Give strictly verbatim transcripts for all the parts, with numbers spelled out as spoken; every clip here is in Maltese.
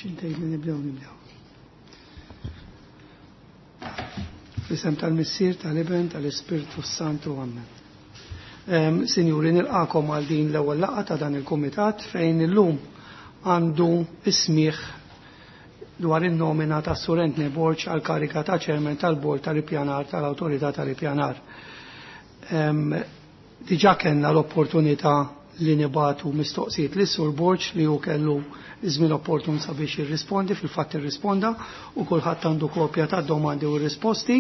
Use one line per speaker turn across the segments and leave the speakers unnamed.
X'ħin tgħid li nibdew nibdew. Fl-isem tal-Missier, tal-Iben, tal-Ispirtu Santu, Amen. Sinjuri, nilqakom għal din l-ewwel laqgħa ta' dan il-kumitat fejn illum għandu ismiħ dwar in-nomina ta' Sur Anthony Borg għal karika ta' ċermen tal-Bord tal-Ippjanar tal-Awtorità tal-Ippjanar. Diġà kellna l-opportunità li nibatu mistoqsijiet li Sur Borg li hu kellu żmien opportun sabiex jirrispondi, fil-fatt irrisponda u kulħadd għandu kopja ta' domandi u risposti.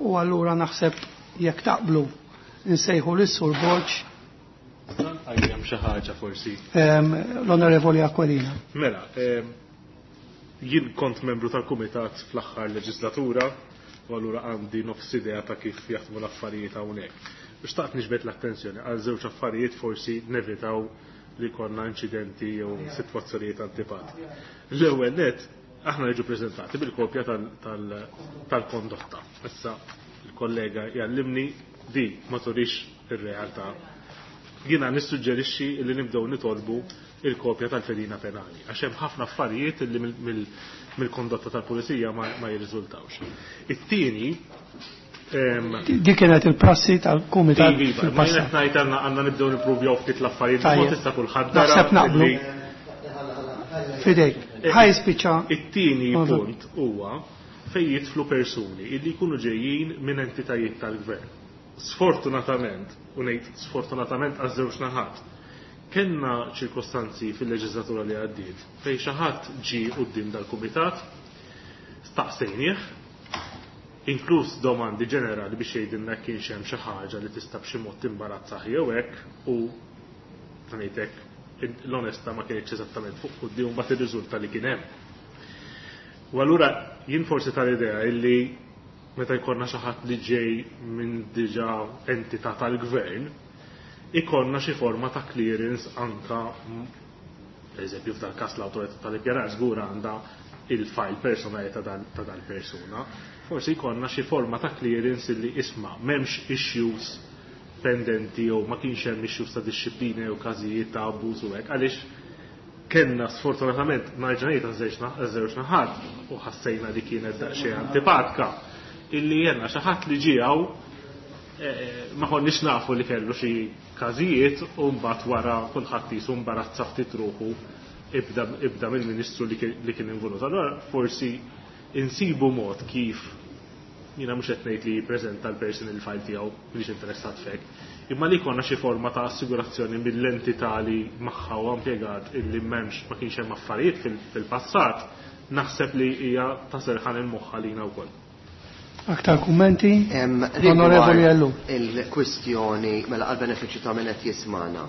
U allura naħseb jekk taqblu nsejħu lis Sur Borg.
Għajjem xi ħaġa forsi.
L-Onorevoli Aquilina.
Mela, jien kont membru tal-Kumitat fl-aħħar leġislatura u allura għandi nofs idea ta' kif jaħdmu l-affarijiet hawnhekk. Xtaqt niġbed l-attenzjoni għal żewġ affarijiet forsi nevitaw li konna inċidenti jew sitwazzjonijiet antipati. L-ewwel net aħna niġu preżentati bil-kopja tal-kondotta. Issa il-kollega jgħallimni di ma turix ir-realtà. Jiena nissuġġerixxi li nibdew nitolbu il-kopja tal-fedina penali, għax hemm ħafna affarijiet li mill-kondotta tal-pulizija ma jirriżultawx. It-tieni
Dik kienet il-prassi tal-kumitat.
Iva, ma jien qed ngħid għandna nibdew nippruvjaw ftit l-affarijiet, ma tista' kulħadd
Naħseb naqblu. Fidejk, ħaj spiċċa.
It-tieni punt huwa fejn jidħlu persuni illi jkunu ġejjin minn entitajiet tal-gvern. Sfortunatament, u ngħid sfortunatament għaż-żewġ naħat, kellna ċirkostanzi fil-leġislatura li għaddiet fejn xi ħadd ġie quddiem dal-kumitat, staqsejnieh, inkluż domandi ġenerali biex jgħidilna kienx hemm xi ħaġa li tista' b'xi mod timbarazzah jew hekk u ngħidlek l-onesta ma kienx eżattament fuq quddiem u mbagħad irriżulta li kien hemm. U allura jien forsi tal-idea illi meta jkollna xi ħadd li ġej minn diġà entità tal-gvern, ikonna xi forma ta' clearance anka per eżempju f'dal każ l-awtorità tal-ippjanar żgur għandha il-file personali ta' dal-persuna. Forsi jkollna xi forma ta' clearance illi isma' m'hemmx issues pendenti jew ma kienx hemm issues ta' disċiplina jew każijiet ta' abbuż u hekk, għaliex kellna sfortunatament nerġa' ngħid għaż-żewġ naħat u ħassejna li kienet daqsxejn antipatka illi jenna xi ħadd li ġie hawn ma konniex nafu li kellu xi każijiet u mbagħad wara kulħadd jisu mbarazza ftit ruħu ibda ibda mill-ministru li kien involut. Allura forsi insibu mod kif jiena mhux qed ngħid li jippreżenta l-personal file tiegħu mhix interessat fek, imma li jkollna xi forma ta' assigurazzjoni mill-entità li magħha huwa impjegat illi m'hemmx ma kienx hemm affarijiet fil-passat, naħseb li hija ta' serħan il-moħħ għalina wkoll.
Aktar kummenti? Onorevoli Ellu.
Il-kwistjoni mela għal-benefiċċju ta' min qed jismana.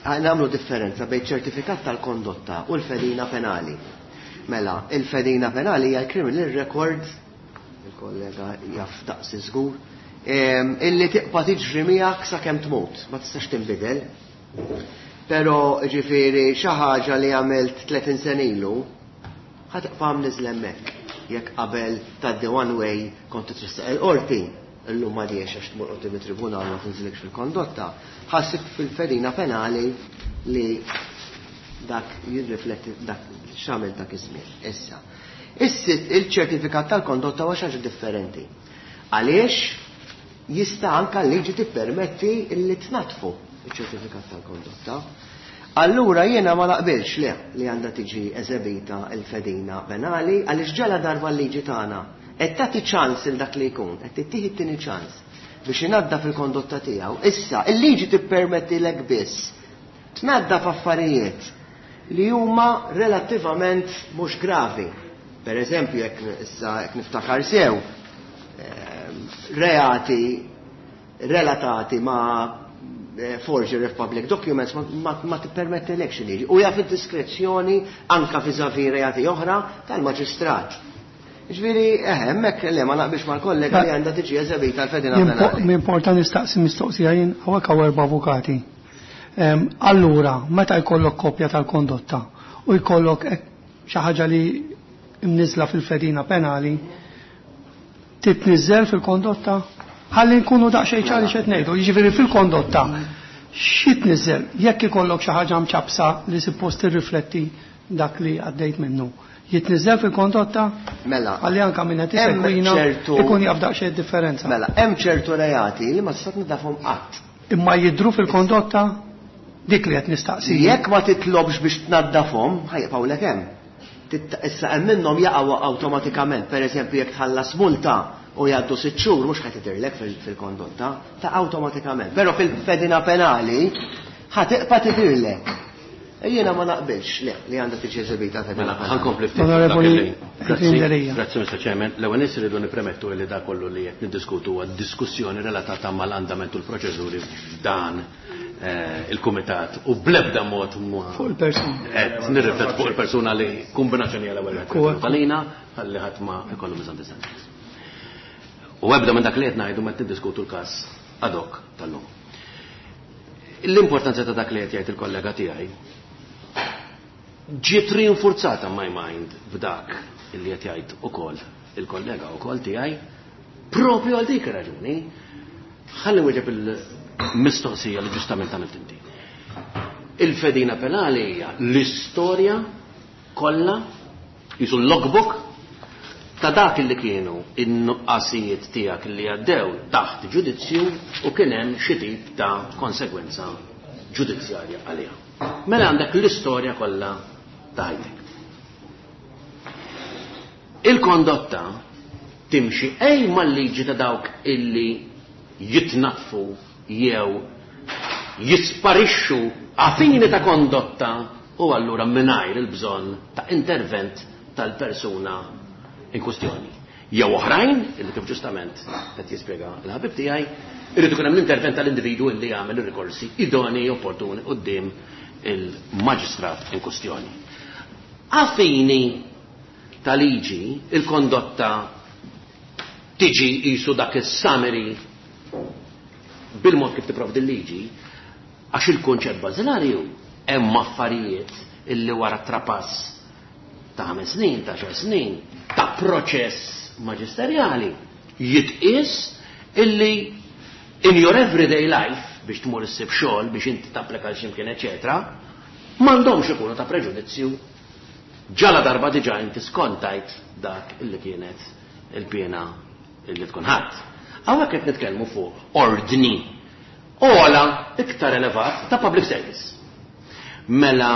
Nagħmlu differenza bejn ċertifikat tal-kondotta u l-fedina penali. Mela, il-fedina penali hija l-criminal record, il-kollega jaf daqsi żgur, illi tibqa' tiġri miegħek sakemm tmut, ma tistax tinbidel. Però ġifieri xi ħaġa li għamilt tletin sena ilu, ħa tibqa' mniżla hemmhekk. Jekk qabel tgħaddi one way kont titressaq il-qorti, illum ma diex għax tmur quddiem it-tribunal ma tinżilekx fil-kondotta, ħassib fil-fedina penali li dak jirrifletti dak x'għamel dak iż-żmien. Issa, il-ċertifikat tal-kondotta huwa xi ħaġa differenti. Għaliex jista' anke l-liġi tippermetti li tnatfu iċ-ċertifikat tal-kondotta. Allura jiena ma naqbilx le li għandha tiġi eżebita l-fedina penali għaliex ġala darba l-liġi tagħna qed tagħti ċans il dak li jkun, qed tittieħi t-tieni ċans biex inaddaf il-kondotta tiegħu. Issa, il-liġi tippermettilek biss tnaddaf affarijiet li huma relattivament mhux gravi. Per eżempju, jekk issa jekk niftakar sew, reati relatati ma' forgery of public documents ma, ma, ma tippermettilekx il-liġi. U hija fid-diskrezzjoni anka vis-à-vis reati oħra tal-maġistrat. Ġifieri, eh, hemmhekk le ma naqbilx mal-kollega li għandha tiġi eżebita l-fedina penali.
M'importa nistaqsi mistoqsija jien hawnhekk hawn erba' avukati. Allura, meta jkollok kopja tal-kondotta u jkollok xi ħaġa li mniżla fil-fedina penali, titniżżel fil-kondotta? Ħalli nkunu daqsxejn ċari x'qed ngħidu, jiġifieri fil-kondotta xi tniżżel jekk ikollok xi ħaġa mċabsa li suppost tirrifletti dak li għaddejt minnu, jitniżel fil-kondotta?
Mela.
Għalli anka minn qed isegwina ikun jaf daqsxejn differenza.
Mela, hemm ċertu reati li ma tista' tnaddafhom qatt.
Imma jidhru fil-kondotta dik li qed nistaqsi.
Jekk ma titlobx biex tnaddafhom, ħa jibqgħulek hemm. Issa hemm minnhom jaqgħu awtomatikament, pereżempju jekk tħallas multa u jgħaddu sitt xhur mhux ħa tidhirlek fil-kondotta, ta' awtomatikament. Però fil-fedina penali ħa tibqa' tidhirlek. Jiena ma naqbilx le li għandha tiġi eżibita fedina penali.
Ħa nkompli ftit.
Onorevoli
Grazzi, Mister Chairman. L-ewwel nies irridu nippremettu li da kollu li qed niddiskutu huwa diskussjoni relatata mal-andament u l-proċeduri f'dan il-kumitat u bl-ebda mod
fuq il-persuna.
Qed nirriflet fuq il-persuna li kombinazzjoni għal ewwel għalina ħalli ħadd ma ikollu misunderstandings. U ebda minn dak li qed ngħidu ma tiddiskutu l-każ ad hoc tal-lum. L-importanza ta' dak li qed jgħid il-kollega tiegħi ġiet rinforzata my mind b'dak li qed jgħid ukoll il-kollega ukoll tiegħi propju għal dik ir-raġuni. Ħalli wieġeb il-mistoqsija li ġustament għamilt inti. Il-fedina penali hija l-istorja kollha, jisu l-logbook ta' dak li kienu in-nuqqasijiet tiegħek li għaddew taħt ġudizzju u kien hemm xi tip ta' konsegwenza ġudizzjarja għaliha. Mela għandek l-istorja kollha ta' ħajtek. Il-kondotta timxi ej mal-liġi ta' dawk illi jitnatfu jew jisparixxu għafini ta' kondotta u allura mingħajr il-bżonn ta' intervent tal-persuna in kwestjoni. Jew oħrajn, illi kif ġustament qed jispjega l-ħabib tiegħi, irid ikun hemm l-intervent tal-individwu illi jagħmel ir-rikorsi idonei opportuni quddiem il-maġistrat in kwestjoni. Għafini ta' liġi, il-kondotta tiġi jisu dak is-summary bil-mod kif tipprovdi l-liġi, għax il-kunċett bażilari hu hemm affarijiet illi wara trapass ta' ħames snin, ta' xar snin, ta' proċess maġisterjali jitqies illi in your everyday life biex tmur issib xogħol, biex inti tapplika għal x'imkien, eċetera, m'għandhomx ikunu ta' preġudizzju ġala darba diġà inti skontajt dak illi kienet il-pena illi tkun ħadd. Hawnhekk qed nitkellmu fuq ordni ola iktar elevat ta' public service. Mela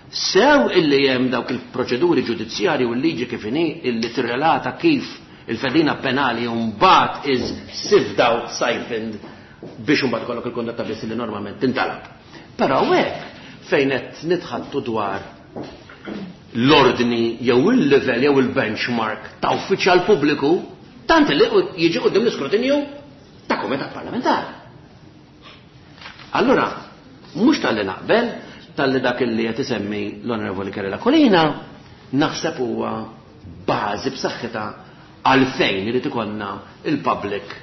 sew illi hemm dawk il-proċeduri ġudizzjarji u l-liġi kif inhi illi tirrelata kif il-fedina penali mbagħad is sieved out, siphoned biex imbagħad ikollok il-kondotta biss li normalment tintalab. Però hekk fejn qed nitħattu dwar l-ordni jew il-level jew il-benchmark ta' uffiċjal pubbliku tant li jiġi quddiem l-iskrutinju ta' kumitat parlamentari. Allura, mhux talli naqbel, talli dak li qed isemmi l-Onorevoli Karol Aquilina, naħseb huwa bażi b'saħħitha għalfejn irid ikollna il-public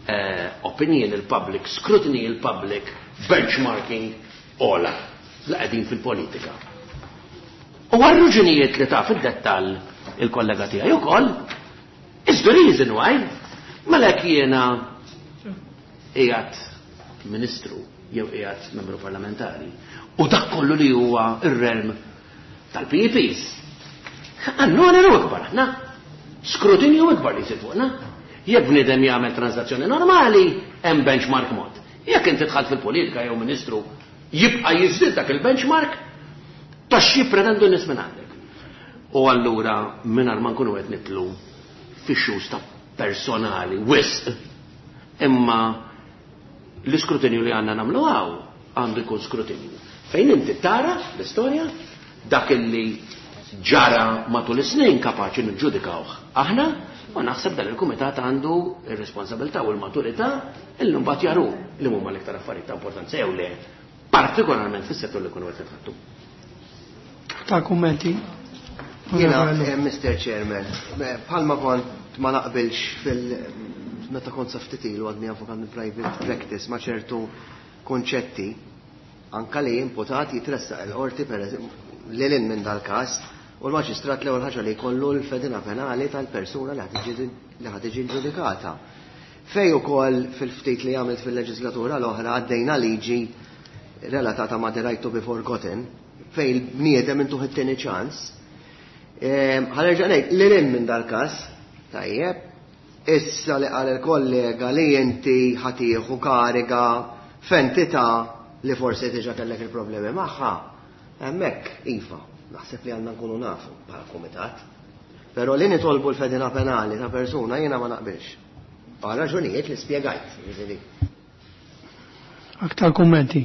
eh, opinion, il-public scrutiny, il-public benchmarking ola li qegħdin fil-politika. U għal-raġunijiet li ta' fid-dettall il-kollega tiegħi ukoll, is the reason why, mela jiena qiegħed ministru jew qiegħed membru parlamentari u dak kollu li huwa ir-realm tal-P E Ps. Għannu għannu ikbar aħna, skrutinju ikbar li jsir fuqna. Jekk bniedem jagħmel transazzjoni normali, hemm benchmark mod. Jekk inti dħalt fil-politika jew ministru, jibqa' jiżdied dak il-benchmark ta' xi pretendu n-nies minn għandek. U allura mingħajr ma nkunu qed nitlu fix-xus ta' personali wisq, imma l-iskrutinju li għandna nagħmlu hawn għandu jkun skrutinju. Fejn inti tara l-istorja dak illi ġara matul is-snin kapaċi niġġudikawh aħna, u naħseb dan il-kumitat għandu ir-responsabilità u l-maturità illi mbagħad jaru li huma l-iktar affarijiet ta' importanza jew le, partikolarment fis-settur li kunu qed nitħattu.
Ta' kummenti?
Jiena, eh, Mister Chairman, bħalma kont ma naqbilx fil- meta kont sa ftit ilu għadni avukat minn private practice ma' ċertu konċetti, anka li imputat jitressaq il-qorti per eżempju lil hinn minn dal-każ, u l-maġistrat l-ewwel ħaġa li jkollu l-fedina penali tal-persuna li ħa tiġi ġudikata. Fej ukoll fil-ftit li għamilt fil-leġislatura l-oħra għaddejna liġi relatata ma' the right to be forgotten, fejn il-bniedem intuh it-tieni ċans. Ħa nerġa' ngħid lil hinn minn dal-każ, tajjeb, issa li qal il-kollega li inti ħa tieħu kariga f'entità li forsi diġà kellek il-problemi magħha, hemmhekk iva, naħseb li għandna nkunu nafu bħala kumitat. Però li nitolbu l-fedina penali ta' persuna jiena ma naqbilx. Għal raġunijiet li spjegajt, jiġifieri.
Aktar kummenti.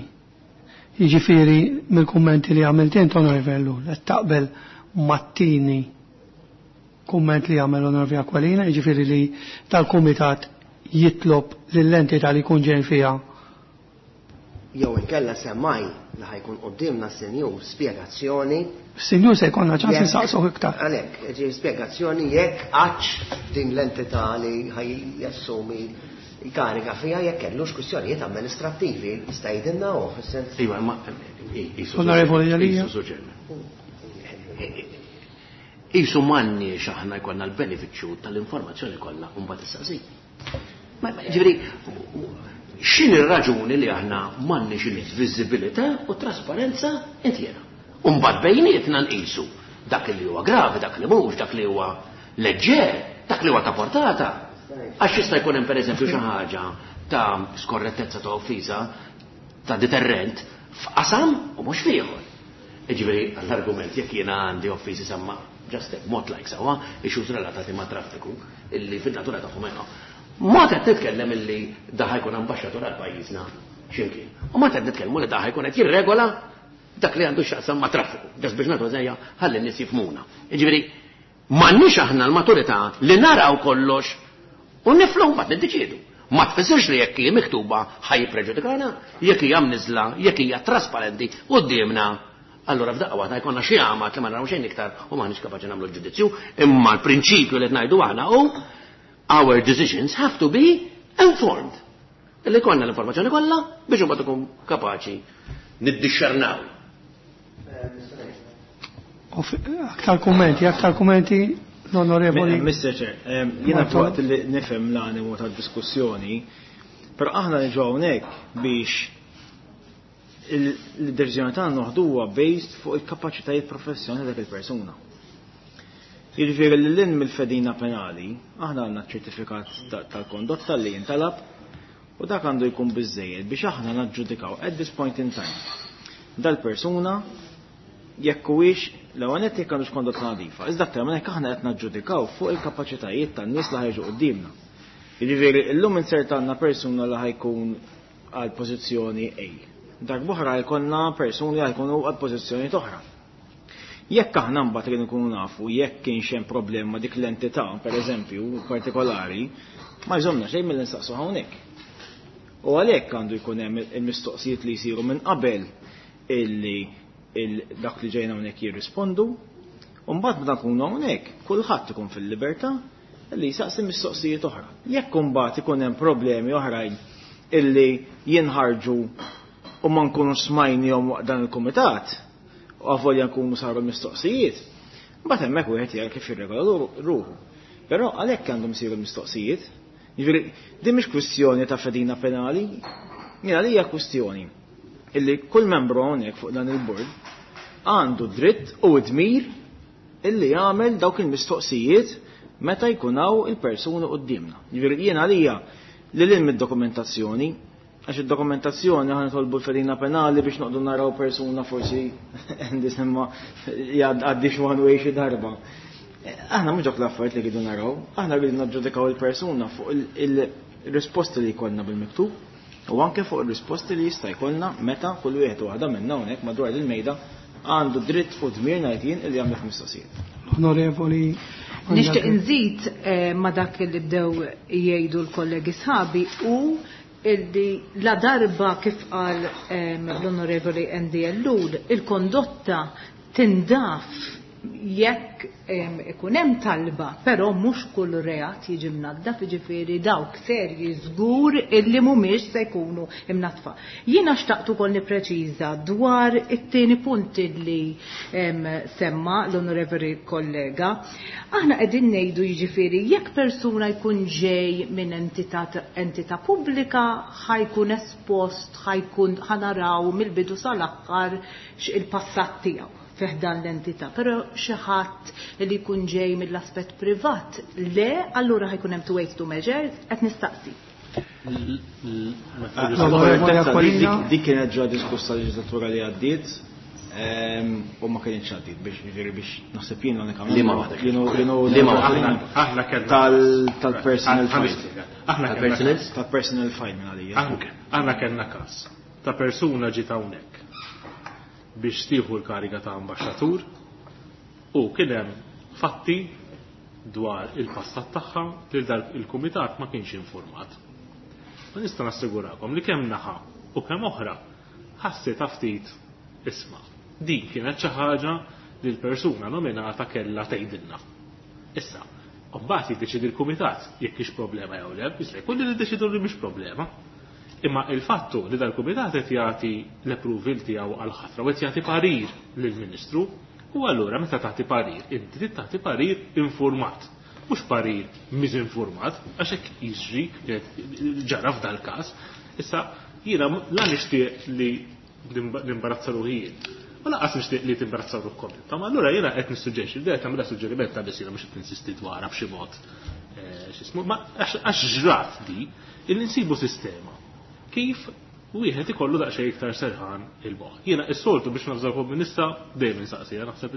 Jiġifieri mill-kummenti li għamilt int, Onorevoli Ellul, qed taqbel mat-tieni kumment li għamel Onorevoli Aquilina, jiġifieri li tal-kumitat jitlob lill-entità li jkun ġejn fiha.
Jew inkella semmaj li ħa jkun quddiemna s-senjur spjegazzjoni.
Sinjur se jkollna ċans
Jekk-
insaqsuh iktar.
Għalhekk, ġi spjegazzjoni jekk għax din l-entità li ħaj jassumi kariga fiha jekk kellux kwistjonijiet amministrattivi jista' jgħidilna hu fis-sens.
Iva, ma jisu
Onorevoli Jalija.
Jisu ġen. Isu m'għandniex aħna jkollna l-benefiċċju tal-informazzjoni kollha u mbagħad issaqsi. Ma ma, ġifieri, x'inhi r-raġuni li aħna m'għandniex il-viżibilità u trasparenza intiera? U mbagħad bejnietna nqisu dak li huwa gravi, dak li mhux, dak li huwa leġġer, dak li huwa ta' portata. Għax jista' jkun hemm pereżempju xi ħaġa ta' skorrettezza ta' offiża ta' deterrent f'qasam u mhux f'ieħor. Ġifieri l-argument jekk jiena għandi offiżi semma just mod like sewwa issues relatati ma' traffiku illi fin-natura tagħhom hemm. Ma qed nitkellem illi da ħa jkun ambaxxatur għal pajjiżna x'imkien. U ma qed nitkellmu li da ħa jkun qed jirregola dak li għandu x'jaqsam ma' traffiku. Just biex nagħtu eżempju ħalli n-nies jifhmuna. Jiġifieri m'għandniex aħna l-maturità li naraw kollox u niflu mbagħad niddeċiedu. Ma tfissirx li jekk hija miktuba ħaj jippreġudikana, jekk hija mniżla, jekk hija trasparenti quddiemna. Allura f'daqqa waħda jkollna xi għamad li ma naraw xejn iktar u m'aħniex kapaċi nagħmlu l-ġudizzju, imma l-prinċipju li qed ngħidu aħna hu our decisions have to be informed. Illi konna l-informazzjoni kollha biex imbagħad ikun kapaċi niddixxernaw.
U f- Aktar kummenti, aktar kummenti l-Onorevoli.
Mister Chair, em, jiena
Martolo.
fuqt li nifhem l-animu tad-diskussjoni, però aħna niġu hawnhekk biex il-deċiżjoni tagħna noħduha based fuq il-kapaċitajiet professjonali dak il-persuna. Jiġifieri li lil mill-fedina penali, aħna għandna ċertifikat ta- tal-kondotta li jintalab u dak għandu jkun biżejjed biex aħna naġġudikaw at this point in time. Dal-persuna jekk huwiex l-ewwel nett jekk għandux kondotta nadifa. Iżda aktar minn hekk aħna qed naġġudikaw fuq il-kapaċitajiet tan-nies li ħa jiġu quddiemna. Jiġifieri llum insertanna persuna li ħa jkun għal pożizzjoni A. Darb'oħra jkollna persuni li ħa jkunu għal pożizzjoni oħra. Jekk aħna mbagħad rridu nkunu nafu jekk kienx hemm problema dik l-entità, pereżempju, partikolari, ma jżomna xejn mill nsaqsu hawnhekk. U għalhekk għandu jkun hemm il-mistoqsijiet li jsiru minn qabel illi il dak li ġejna hawnhekk jirrispondu, u mbagħad meta nkunu hawnhekk kulħadd ikun fil-libertà illi jsaqsi mistoqsijiet oħra. Jekk imbagħad ikun hemm problemi oħrajn illi jinħarġu u ma nkunu smajnihom waqt dan il-kumitat, u avolja nkunu saru mistoqsijiet, mbagħad hemmhekk wieħed jara kif jirregola ruħu. Però għalhekk għandhom isiru mistoqsijiet. Jiġifieri din mhix kwistjoni ta' fedina penali, jiena li hija kwistjoni illi kull membru hawnhekk fuq dan il-bord għandu dritt u dmir illi jagħmel dawk il-mistoqsijiet meta jkun hawn il-persuni quddiemna. Jiġifieri jiena għalija li lil mid-dokumentazzjoni, għax id-dokumentazzjoni ħa nitolbu l-fedina penali biex noqdu naraw persuna forsi għandi semma għaddi one way xi darba. Aħna mhux dawk l-affarijiet li rridu naraw, aħna rridu naġġudikaw il-persuna fuq il-risposti li jkollna bil-miktub u anke fuq il-risposti li jista' jkollna meta kull wieħed u waħda minna hawnhekk madwar il-mejda għandu dritt u dmir ngħid jien illi jagħmel mistoqsijiet.
Onorevoli.
Nixtieq nżid eh, ma dak li bdew jgħidu l-kollegi sħabi u illi la darba kif qal ehm, l-Onorevoli Andy Ellul, il-kondotta tindaf Jekk ikun hemm talba, però mhux kull reat jiġi mnaddaf, jiġifieri dawk serji żgur illi mhumiex se jkunu imnadfa. Jiena xtaqt ukoll nippreċiża dwar it-tieni punt illi semma l-onorevoli kollega. Aħna qegħdin ngħidu jiġifieri jekk persuna jkun ġej minn entità entità pubblika ħajkun espost, ħajkun ħanaraw mill-bidu sal-aħħar il-passat tiegħu fiħdan l-entità, però xi ħadd li jkun ġej mill-aspett privat, le, allura ħajkun hemm two weights two measures, qed nistaqsi.
Dik kienet ġa diskussa leġislatura li għaddiet u ma kienx għaddiet biex jiġifieri biex naħseb jien l-unika
Aħna kellna
tal-personal file.
Aħna kellna
Tal-personal file minn għalija.
Aħna kellna każ ta' persuna ġiet hawnhekk biex tieħu l-kariga ta' ambaxxatur u kien hemm fatti dwar il-passat tagħha li dal il-kumitat ma kienx informat. Ma nista' nassigurakom li kemm naħa u kemm oħra ħassita ftit isma'. Din kienet xi ħaġa li l-persuna nominata kellha tgħidilna. Issa, mbagħad jiddeċidi l-kumitat jekk hix problema jew le, jista' jkun li niddeċidu li mhix problema. Imma il-fattu li dal-kumitat qed jagħti l-approval tiegħu għal ħatra u qed jagħti parir lill-Ministru, u allura meta tagħti parir, inti trid tagħti parir informat, mhux parir miżinformat, għax hekk jiġri ġara f'dal-każ. Issa jiena la nixtieq li nimbarazza ruħi jien. U lanqas nixtieq li timbarazza ruħkom intom. Allura jiena qed nissuġġerixxi, li qed nagħmilha suġġeriment ta' biss jiena mhux qed ninsisti dwarha b'xi mod. X'ismu, ma għax ġrat di illi nsibu sistema kif wieħed ikollu daqsxejn iktar serħan il-moħħ. Jiena s-soltu biex nafżalkom minn issa dejjem insaqsija, naħseb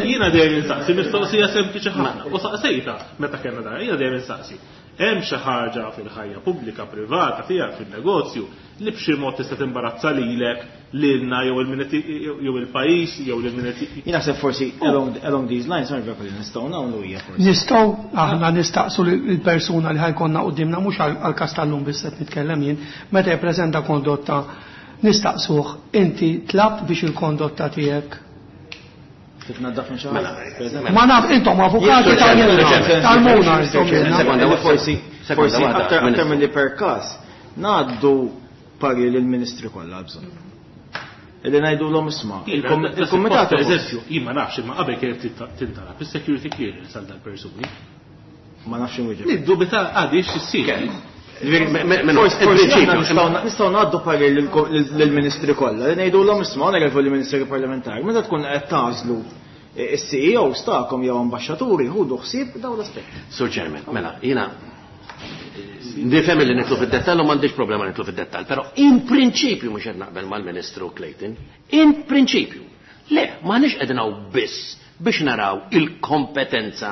jiena dejjem insaqsi mistoqsija sempliċi ħafna. U saqsejta meta kellna dan, jiena dejjem insaqsi. Hemm xi ħaġa fil-ħajja pubblika, privata tiegħek fin-negozju li b'xi mod tista' timbarazza lilek, lilna jew jew il-pajjiż jew lil min qed
Jien naħseb forsi along along these lines ma nifhem li nistgħu nagħmlu hija forsi.
Nistgħu aħna nistaqsu lill-persuna li ħajkonna quddiemna mhux għall-każ tal-lum biss qed nitkellem jien, meta jippreżenta kondotta nistaqsuh inti tlabt biex il-kondotta tiegħek
titnaddaf minn xi ħadd.
Ma naf intom avukati tal-muna intom.
Forsi forsi aktar aktar milli per każ ngħaddu parir lill-ministri kollha bżonn. Illi ngħidulhom isma' il-kumitat
eżempju, jien ma nafx imma qabel kienet tintalab is-security clearance għal dal-persuni.
Ma nafx inwieġeb.
Niddubita għadix issir.
Nistgħu ngħaddu parir lill-ministri kollha li ngħidulhom isma' onorevoli ministri parlamentari, meta tkun qed tagħżlu is-C E Os tagħkom jew ambaxxaturi ħudu ħsieb dawn l-aspetti.
Sur Chairman, mela, jiena nifhem li nitlu fid-dettall u m'għandix problema nitlu fid-dettall, però in prinċipju mhux qed naqbel mal-Ministru Clayton, in prinċipju. Le, m'aħniex qegħdin hawn biss biex naraw il-kompetenza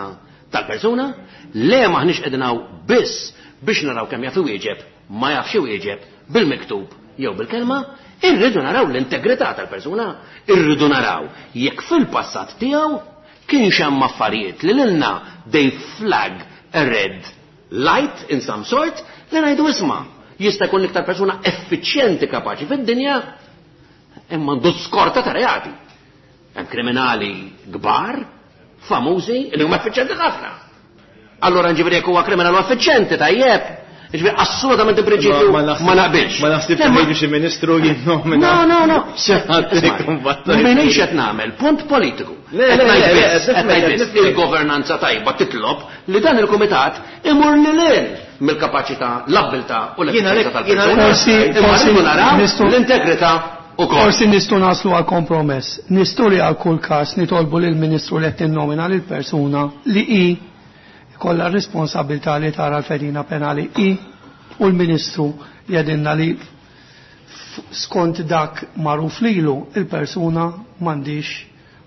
tal-persuna, le m'aħniex qegħdin hawn biss biex naraw kemm jaf iwieġeb, ma jafx iwieġeb bil-miktub jew bil-kelma, irridu naraw l-integrità tal-persuna, irridu naraw jekk fil-passat tiegħu kienx hemm affarijiet li lilna they flag a red light in some sort li ngħidu isma' jista' jkun l-iktar persuna effiċjenti kapaċi fid-dinja imma għandu skorta ta' reati. Hemm kriminali kbar, famużi, li huma effiċjenti ħafna. Allora nġifieri jekk huwa kriminal effiċjenti tajjeb, jiġifieri assolutament in prinċipju ma naqbilx.
Ma naħsibx li jiġi xi ministru jinnomina.
No, no, no.
Xi ħadd ikun battalja.
M'iniex qed nagħmel punt politiku.
Le, le,
Qed ngħid
le, le,
biss,
le,
qed ngħid
le,
biss,
le, le.
il-governanza tajba titlob li dan il-kumitat imur lil hinn mill-kapaċità, l-abbiltà u
Jiena
l-effiċjenza
lek- jiena
tal-persuna.
Forsi,
Imma
forsi
rridu naraw
nistgħu-
l-integrità ukoll.
Forsi nistgħu naslu għal kompromess. Nistgħu li għal kull każ nitolbu lill-Ministru li qed tinnomina lil persuna li hi kollha r-responsabilità li tara l-fedina penali i u l-Ministru jgħidilna li f-, skont dak magħruf lilu il-persuna m'għandix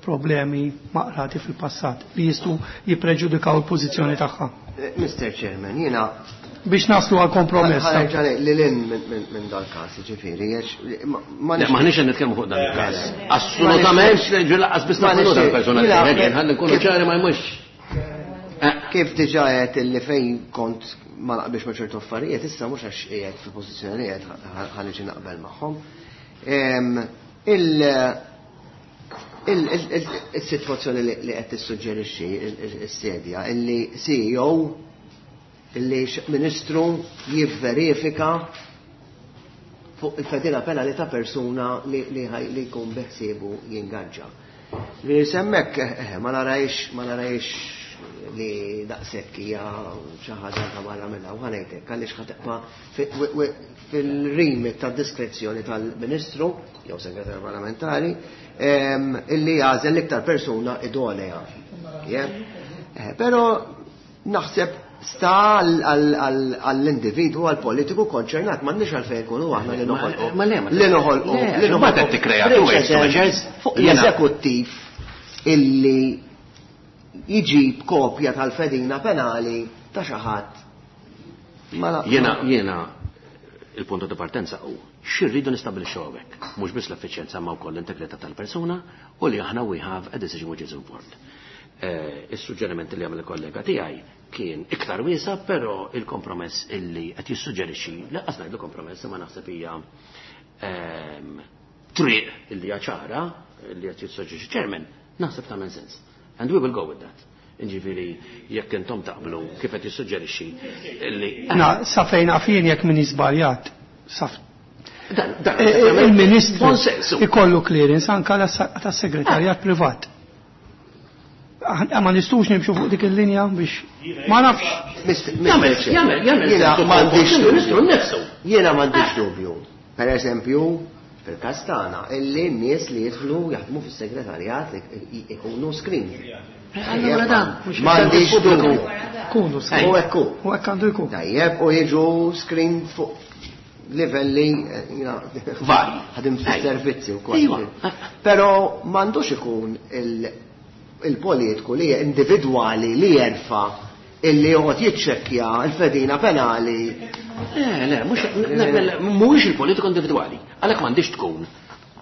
problemi maqrati fil-passat li jistgħu jippreġudikaw il-pożizzjoni tagħha.
Eh, Mister Chairman, jiena
biex naslu għal kompromess.
Ħa nerġa' li lin minn dal-każ, jiġifieri, għax ma-, ma
Le,
nix-
maħniex qed nitkellmu fuq dan il-każ.
Le.
Assolutament,
Ma nix-
ġu laqqas biss
ma
nagħmlu
nix-
dal-persuna li
Jiena-
qed ħalli nkunu
kif-
ċari ma jmux.
Kif diġà qed illi fejn kont ma naqbilx ma' ċertu affarijiet, issa mhux għax qiegħed fil-pożizzjoni li qiegħed ħa niġi naqbel magħhom. Em, il- Il-sitwazzjoni li qed tissuġġerixxi s-sedja illi C E O, illi ministru jivverifika fuq il-fedina penali ta' persuna li li jkun beħsiebu jingaġġa. Li semmek eh, ma narajx ma narajx li daqshekk hija xi ħaġa ta' barra minnha u ħa ngħidlek għaliex ħa tibqa' fil-remit ta' diskrezzjoni tal-Ministru jew segretarju parlamentari illi jagħżel l-iktar persuna idonea. Eh, però naħseb sta għall-individu, għall-politiku konċernat, m'għandniex għalfejn ikunu aħna li noħolqu.
Ma le,
Li noħolqu.
Li noħolqu. Tikkrea
fuq l-eżekuttiv illi jġib kopja tal-fedina penali ta' xi ħadd.
Jena, jena, il-punto di partenza u xirridu nistabbilixxu hawnhekk, mhux biss l-effiċjenza ma wkoll l-integrità tal-persuna u li aħna we have a decision which is informed. Eh, is-suġġeriment li għamel il-kollega tiegħi kien iktar wiesa, però il-kompromess illi qed jissuġġerixxi, lanqas ngħidlu kompromess, ma naħseb hija ehm, triq illi hija ċara illi qed jissuġġerixxi chairman, naħseb tagħmel sens. And we will go with that. Ġifieri, jekk intom taqblu kif qed jissuġġerixxi illi.
Na, sa fejn għafin jekk min iżbaljat. Saf eh, eh, il-ministru ikollu clearance anka tas-segretarjat privat. Ma nistux nimxu fuq dik il-linja biex ma nafx.
Jagħmel, jagħmel, jagħmel.
Jiena m'għandix
il-ministru nnifsu.
Jiena m'għandix dubju. Per eżempju, fil-każ tagħna, illi n-nies li jidħlu jaħdmu fis-segretarjat ikunu screen.
Allura dan,
M'għandix dubju.
Kunu
U ekku.
U hekk għandu jkun.
Tajjeb, u jiġu screen fuq livelli eh, jiena
Vari.
ħadim fis-servizzi wkoll.
Iva.
Però m'għandux ikun il- il-politiku li individwali li jerfa illi joqgħod jiċċekkja l-fedina penali.
Le, le, mhux mhuwiex il-politiku individwali. Għalhekk m'għandix tkun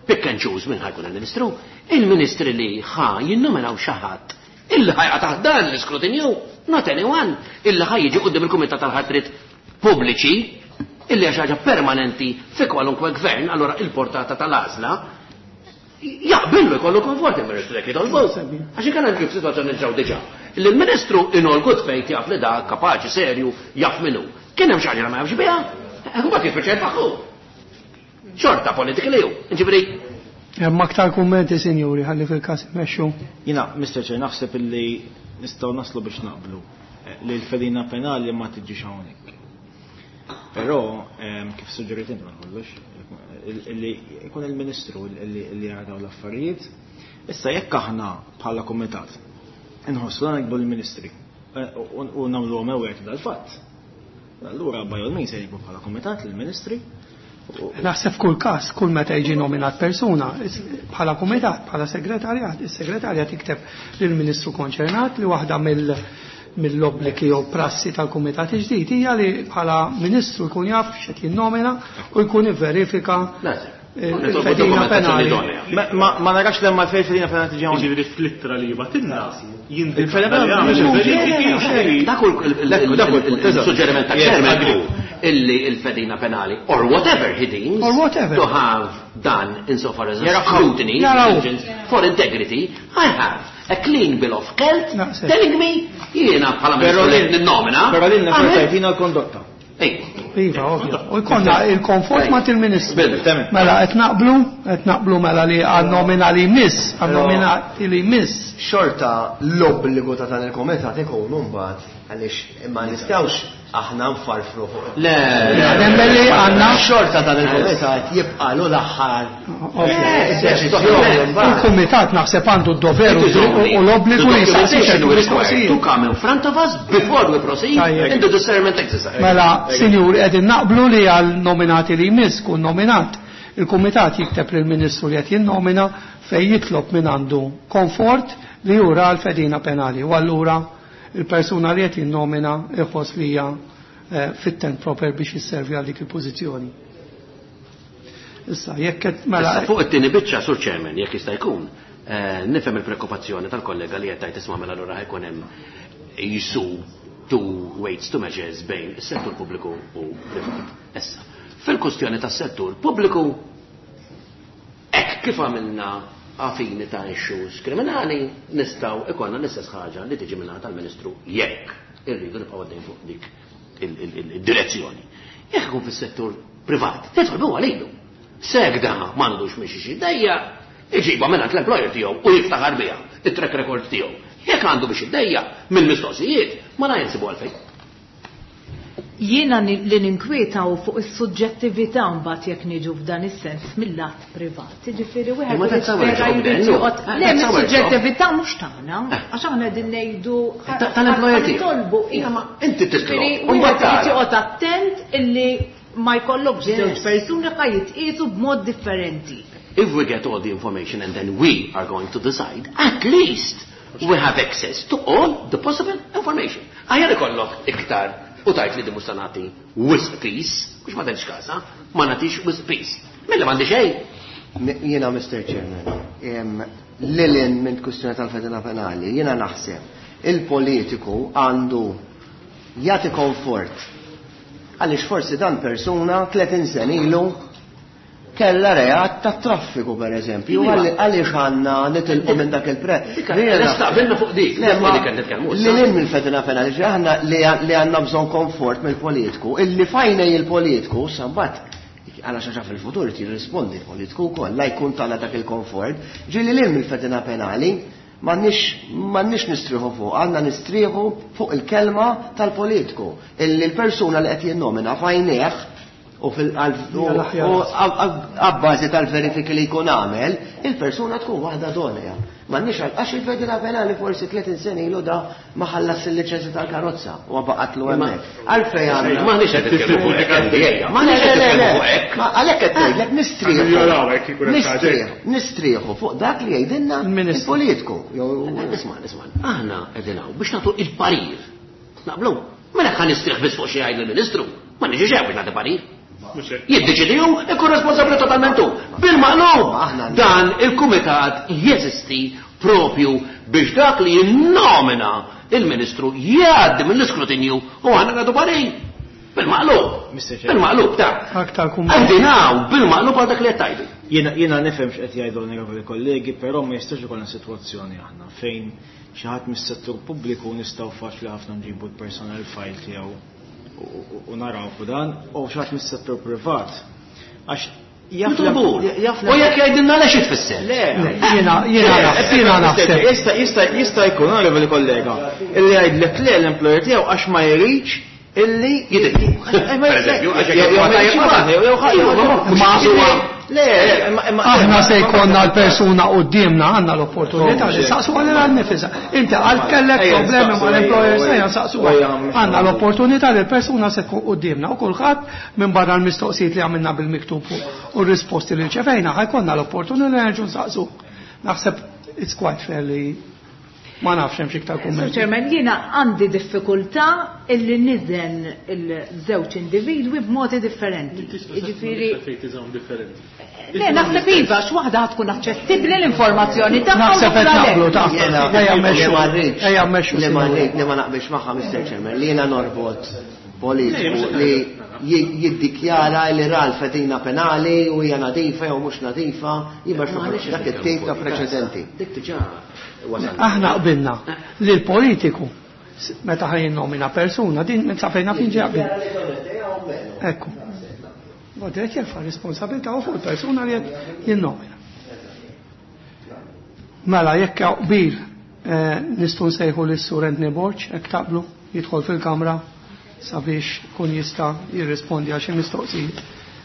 pick and choose minn ħa jkun il-ministru. Il-ministri li ħa jinnominaw xi ħadd illi ħa jaqa' taħt dan l-iskrutinju, not anyone, illi ħa jiġi quddiem il-Kumitat tal-Ħatrit Pubbliċi, illi hija xi ħaġa permanenti fi kwalunkwe gvern, allora il-portata tal-għażla jaqbillu jkollu konfort il-ministru jekk jitolbu. Għax inkella kif situazzjoni ġew diġà. Li l-ministru in all good faith jaf li da kapaċi, serju, jaf minnu. Kien hemm xi ħaġa li ma jafx biha, mbagħad jispiċċa jfaħħu. Xorta politika li hu. Ġifieri
Hemm aktar kummenti, sinjuri, ħalli fil-każ immexxu.
Jiena, Mister Chair, naħseb illi nistgħu naslu biex naqblu eh, li l-fedina penali ma tiġix hawnhekk. Però, ehm, kif suġġerit inti ma kollox, illi jkun il-Ministru illi illi jara dawn l-affarijiet. Issa jekk aħna bħala kumitat inħossu dan nikbu l-Ministri eh, u u nagħmluhom aware dal-fatt. Allura by all means se jikbu bħala kumitat lill-Ministri. u-
Naħseb kull każ, kull meta jiġi nominat persuna, is- bħala kumitat, bħala segretarjat, is-segretarjat jikteb lill-ministru konċernat li waħda mill mill-obbligi jew prassi tal-kumitat ġdid hija li bħala ministru jkun jaf x'qed jinnomina u jkun ivverifika
Lazim.
il-fedina penali.
Ma- Ma ma narax lemma fejn fedina penali tiġi hawnhekk.
Jiġifieri fl-ittra li jibatilna jindika
Il-fedina
li
penali
jagħmel
mhux
verifiki.
Dak hu
Dak hu il-punt, eżatt.
il-suġġeriment ta'
Yes,
chairman
agree.
hu illi il-fedina penali or whatever he deems
Or whatever.
to have done insofar as a
Jaraw.
scrutiny
Jaraw.
diligence for integrity, I have a clean bill of health
Naqseb.
telling me jiena bħala
Però
ministru li
lil-
ninnomina.
Però lilna
għamel-
xorta jtina l-kondotta.
Ej,
Iva, ovvja. U jkollna il-komfort ma' il-ministru.
Bil.
Temmen.
Mela qed naqblu, qed naqblu mela li għan-nomina li jmiss, għan-nomina li jmiss.
Xorta l-obbligu ta' dan il-komitat ikun mbagħad għaliex ma nistgħux aħna nfarfru fuq.
Le,
Nemmen li għandna
Xorta dan il-komitat jibqalu l-aħħar
Ovvja. Il-kumitat naħseb għandu d-dover u u l-obbligu li jsaqsi ċertu
to
mistoqsijiet.
come in front of us before we proceed
Tajjeb.
in the discernment exercise.
Mela, sinjur, qegħdin naqblu li għal nominati li jmiss kun nominat. Il-kumitat jikteb lill-ministru li qed jinnomina fejn jitlob minn għandu komfort li jura l-fedina penali. U allura il-persuna li qed jinnomina iħoss li hija eh, fit and proper biex jisservi għal dik il-pożizzjoni. Issa, jekk qed mela
Issa fuq it-tieni biċċa, Sur Chairman, jekk jista' jkun, eh, nifhem il-preokkupazzjoni tal-kollega li qed tgħid, isma' mela allura ħa jkun hemm jisu two weights, two measures bejn is-settur pubbliku u privat. Issa, fil-kustjoni tas-settur pubbliku, hekk kif għamilna għafini ta' issues kriminali nistgħu ikollna l-istess ħaġa li tiġi minn tal-Ministru jekk irridu nibqgħu għaddejn fuq dik il-direzzjoni. Jekk ikun fis-settur privat, titolbu għalilu. Sek da m'għandux miex xi dejja, iġiba minn l-employer tiegħu u jiftaħar biha it-track record tiegħu. Jekk għandu biex iddejja mill-mistoqsijiet, ma la jinsibu għalfejn.
Jiena li ninkwieta u fuq is-suġġettività mbagħad jekk niġu f'dan is-sens mill-lat privat. Jiġifieri wieħed jispera jrid joqgħod. Le, mis-suġġettività mhux tagħna, għax aħna qegħdin ngħidu
tal-employer
tiegħu.
Inti titlob.
Wieħed irid joqgħod attent illi ma jkollokx żewġ persuni ħa jitqiesu b'mod differenti.
If we get all the information and then we are going to decide, at least we have access to all the possible information. Aħjar ikollok iktar u tajt li di mhux se nagħti wisq peace, mhux ma tgħidx kasa, ma nagħtix wisq peace. Mela m'għandi xejn.
Jiena Mister Chairman, lilin minn kwistjoni tal-fedina penali, jiena naħseb il-politiku għandu jagħti komfort. Għaliex forsi dan persuna tletin sen ilu kella reat ta' traffiku per eżempju, għaliex għandna nitilqu minn dak il-pre.
Nistaqbilna fuq dik,
li lil mill-fedina penali, aħna li għandna bżonn komfort mill-politiku, illi fajnej il-politiku, sambat, għala xaġa fil-futur jirrispondi l-politiku wkoll, la jkun tagħna dak il-komfort, ġieli lil mill-fedina penali, m'għandniex nistrieħu fuq, għandna nistrieħu fuq il-kelma tal-politiku, illi l-persuna li qed jinnomina fajnejh u fil-abbażi tal-verifiki li jkun għamel, il-persuna tkun waħda donja. M'għandniex għax il-fedina penali forsi tletin sena ilu da ma ħallas il-liċenzja tal-karozza u baqatlu hemmhekk. Għalfejn għandna.
M'għandniex qed nitkellmu fuq hekk. M'għandniex qed nitkellmu fuq hekk.
Għalhekk qed ngħidlek nistrieħu. Nistrieħu fuq dak li jgħidilna il-politiku.
Isma' isma' aħna qegħdin hawn biex nagħtu il-parir. Naqblu. Mela ħa nistrieħ biss fuq xi jgħid il-Ministru. Ma niġix hemm biex nagħti parir. Jiddeċidi hu, ikun responsabbli totalment hu. Bil-maqlub, dan il-kumitat jeżisti propju biex dak li jinnomina il-Ministru jgħaddi mill-iskrutinju u aħna nagħtu parir. Bil-maqlub. Bil-maqlub ta' Għandinaw bil-maqlub għal dak li qed tgħidu.
Jiena nifhem x'qed jgħidu l-onorevoli kollegi, però ma jistax ikollna sitwazzjoni aħna fejn xi ħadd mis-settur pubbliku nistgħu faċli ħafna nġibu l-personal file tiegħu u naraw fuq dan, u xi ħadd mis-settur privat. Għax
jaf U jekk jgħidilna għaliex tfisser.
Le,
jiena jiena jiena naħseb.
Jista' jista' jista' jkun onorevoli kollega illi jgħidlek le l-employer tiegħu għax ma jridx illi
jidilku. Per eżempju, għax
Le, imma
aħna se jkollna l-persuna quddiemna għandna l-opportunità li saqsu għal għal-nifisa. Inti għal kellek problemi mal-employer sejja saqsu għandna l-opportunità li l-persuna se tkun quddiemna u kulħadd minn barra l-mistoqsijiet li għamilna bil-miktub u r-risposti li rċevejna ħajkollna l-opportunità li nerġgħu nsaqsu. Naħseb it's quite fair li ma nafx hemm xi iktar kummenti.
Chairman, jiena għandi diffikultà illi niżen il-żewġ individwi b'modi differenti. Jiġifieri Le, naħseb iva, x'waħda tkun aċċessibbli l-informazzjoni tagħha.
Naħseb qed naqblu ta' ejja mmexxu. Ejja mmexxu.
Li ma li ma naqbilx magħha Mister Chairman, li jiena norbot politiku li jiddikjara li ra l-fedina penali u hija nadifa jew mhux nadifa, jibgħax dak it-tip ta' preċedenti.
Dik diġà
Aħna qbilna li l-politiku meta ħaj jinnomina persuna din minn sa fejna fin ġej qbil. Ekku. Għodret jerfa' responsabilità u fuq il-persuna li qed jinnomina. Mela jekk qbil nistgħu nsejħu lis-Sur Anthony Borg hekk taqblu jidħol fil-kamra sabiex kun jista' jirrispondi għal xi mistoqsijiet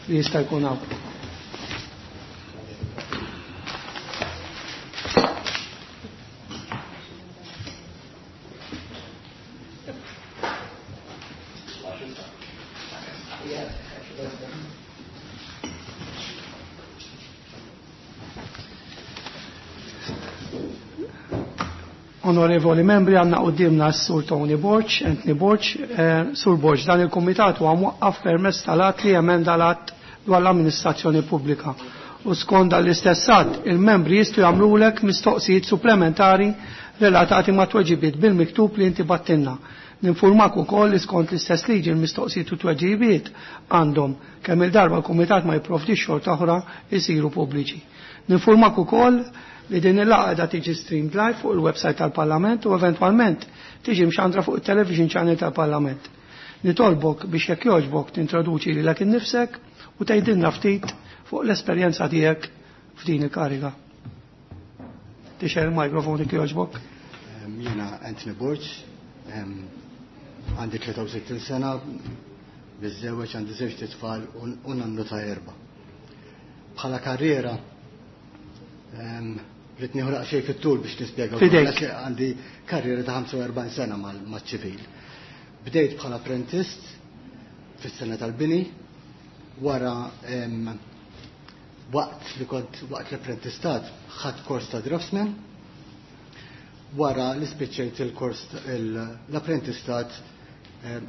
li jista' jkun hawn. Onorevoli membri, għanna qoddimna s-Sur Tony Borg, Anthony Borg, eh, Sur Borg, dan il-Komitat huwa mwaqqaf permezz tal-att li emenda l-att dwar l-amministrazzjoni pubblika. U skont dan l-istess att, il-membri jistgħu jagħmlulek mistoqsijiet supplementari relatati ma' tweġibiet bil-miktub li inti battinna. Ninfurmak ukoll li skont l-istess liġi l-mistoqsijiet u tweġibiet għandhom kemm il-darba l-Kumitat ma jipprovdix xorta oħra jsiru pubbliċi. Ninfurmak ukoll li din il-laqgħa qiegħda tiġi streamed live fuq il-website tal-Parlament u eventwalment tiġi mxandra fuq it-television channel tal-Parlament. Nitolbok biex jekk jogħġbok tintroduċi lilek innifsek u tgħidilna ftit fuq l-esperjenza tiegħek f'din il-kariga. Tixgħel il-mikrofon jekk jogħġbok.
Jiena Anthony Borg, għandi tlieta u sittin sena, biżżewweġ, għandi żewġ tfal u nannu ta' erba'. Bħala karriera, rrid nieħu daqsxejn fit-tul biex nispjega.
Fidejk.
Għandi karriera ta' ħamsa u erbgħin sena maċ-ċivil. Bdejt bħala apprentist fis-sena tal-bini, wara waqt li kont waqt l-apprentistat ħadt kors ta' draftsman, wara li spiċċejt il-kors l-apprentistat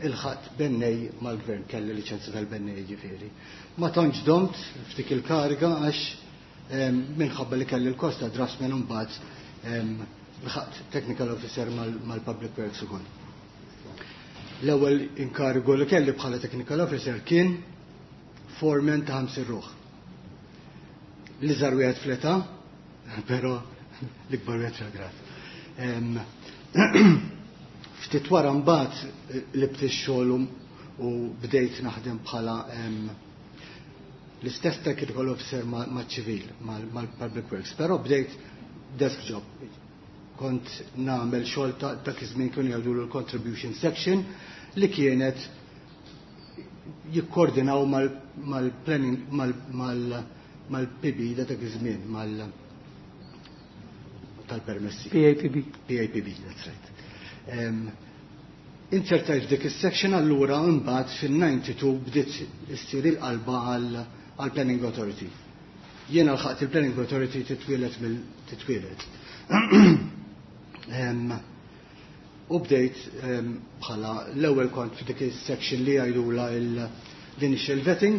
il-ħadd bennej mal-gvern, kelli liċenzja tal-bennej ġifieri. Ma tantx domt f'dik il-kariga għax minħabba li kelli l-kors ta' draftsman u mbagħad l-ħadd technical officer mal-Public Works ukoll. L-ewwel inkarigu li kelli bħala technical officer kien foreman ta' ħamsin ruħ. L-iżgħar wieħed fl-età, però l-ikbar wieħed fil-grad. Ftit wara mbagħad libt ix-xogħol u bdejt naħdem bħala l-istess technical officer maċ-ċivil, mal-Public Works, però bdejt desk job. Kont nagħmel xogħol ta' dak iż-żmien kienu jgħidulu l-contribution section li kienet jikkoordinaw mal-planning mal-P B da dak iż-żmien mal tal-permessi.
P A P B.
P A P B, that's right. Insertajt f'dik is-section allura mbagħad fin-ninety-two bdiet issir il-qalba għal Planning Authority. Jiena lħaqt il-Planning Authority titwielet mill-titwielet. U bdejt bħala l-ewwel kont f'dik is-section li jgħidulha l-initial vetting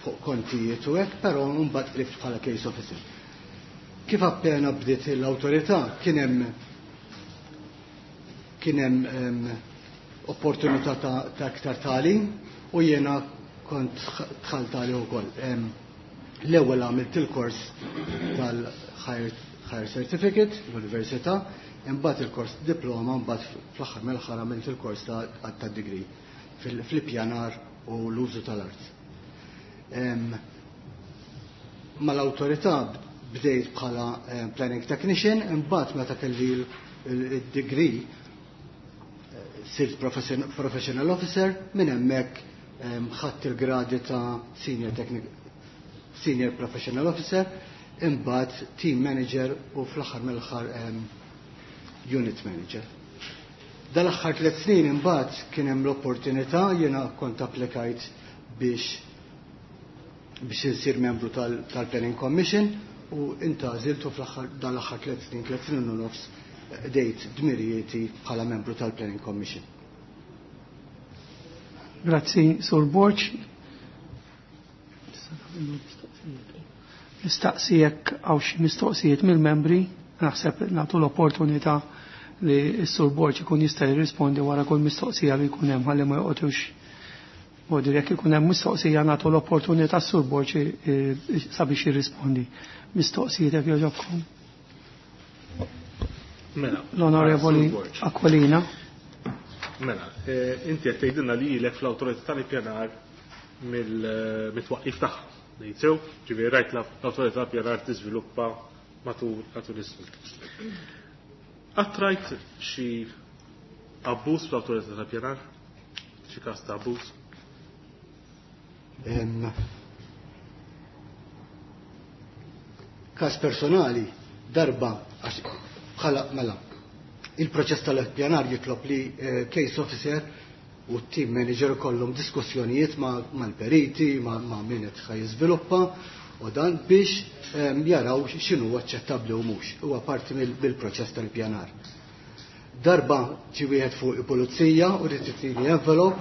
fuq kontijiet u hekk, però mbagħad qribt bħala case officer. Kif appena bdiet l-awtorità kien hemm kien hemm opportunità ta', ta' aktar tagħlim u jiena kont dħalt għalih ukoll. L-ewwel għamilt il-kors tal-Higher Higher Certificate l-Università, imbagħad il-kors diploma, imbagħad fl-aħħar mill-aħħar għamilt il-kors ta', ta' degree fil-ippjanar u l-użu tal-art. Mal-awtorità bdejt bħala planning technician, imbagħad meta kelli il-degree sirt professional officer, minn hemmhekk ħadt il-gradi ta' senior technic-, senior professional officer, imbagħad team manager u fl-aħħar mill-aħħar unit manager. Dal-aħħar tliet snin imbagħad kien hemm l-opportunità, jiena kont applikajt biex, biex insir membru tal-, tal-Planning Commission u intgħażilt u fl-aħħar dal-aħħar tliet snin, tliet snin u nofs dejt dmirijieti bħala membru tal-Planning Commission.
Grazzi, Sur Borg. Nistaqsi jekk hawn xi mistoqsijiet mill-membri, naħseb nagħtu l-opportunità li s-Sur Borg ikun jista' jirrispondi wara kull mistoqsija li jkun hemm ħalli ma joqgħodux. Bodi jekk ikun hemm mistoqsija nagħtu l-opportunità s-Sur Borg sabiex jirrispondi. Mistoqsijiet jekk jogħġobkom.
Mela,
L-Onorevoli
Sur Borg.
Aquilina.
Mela, eh, inti qed tgħidilna li ilek fl-awtorità tal-ippjanar mill-mitwaqqif tagħha. Ngħid sew, ġifieri rajt l-awtorità tal-ippjanar tiżviluppa matul, matul is-snin. Qatt rajt xi abbuż fl-awtorità tal-ippjanar? Xi każ ta' abbuż?
Em, każ personali, darba, għax bħala mela, il-proċess tal-ippjanar jitlob li, eh, case officer u team manager kollhom diskussjonijiet ma', mal-periti, ma', ma' min qed ħaj jiżviluppa u dan biex, ehm, jaraw x'inhu aċċettabbli u mhux. Huwa parti mill-, mill-proċess tal-ippjanar. Darba ġie wieħed fuq il-pulizija u rid itini envelope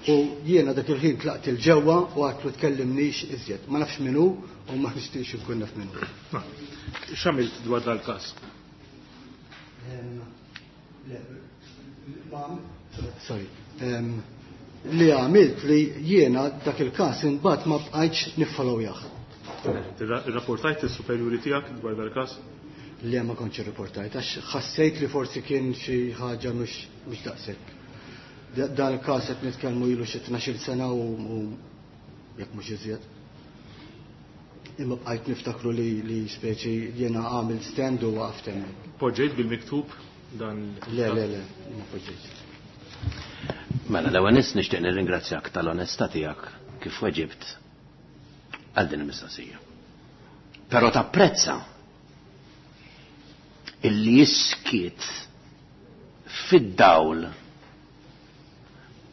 u jiena dak il-ħin tlaqt il-ġewwa u għadtlu tkellimnix iżjed. Ma nafx min hu u ma nixtieqx inkun naf min hu.
Ma, x'għamilt dwar dal-każ?
Ehm, le, ma, sorry. Ehm, li għamilt li jiena dak il-każ imbagħad ma bqajtx niffollowjah.
Irrapportajt is-superjuri tiegħek dwar dal-każ?
Le, ma kontx irriportajt, għax ħassejt li forsi kien xi ħaġa mhux mhux daqshekk. Dan il-każ qed nitkellmu ilu xi tnax-il sena u u jekk mhux iżjed. Imma bqajt niftakru li li speċi jiena għamil stand u waqaft hemmhekk.
Poġġejt bil-miktub dan?
Le, le, le, ma poġġejt.
Mela, l-ewwel nett nixtieq nirringrazzjak tal-onestà tiegħek kif weġibt għal din il-mistoqsija. Però tapprezza illi jiskiet fid-dawl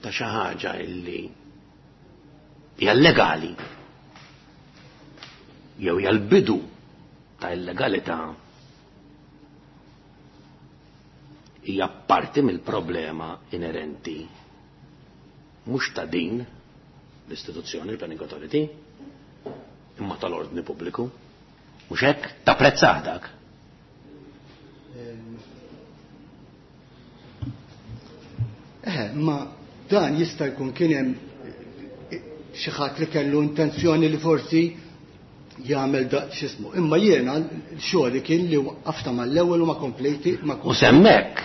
ta' xi ħaġa illi hija legali jew hija l-bidu ta' illegalità hija parti mill-problema inerenti mhux ta' din l-istituzzjoni, il-Planning Authority, imma tal-ordni pubbliku. Mhux hekk? Tapprezzah dak?
Eh, ma dan jista' jkun kien hemm xi ħadd li kellu intenzjoni li forsi jagħmel da x'ismu. Imma jiena xogħli kien li waqqafta mal-ewwel u ma komplejti ma
U semmek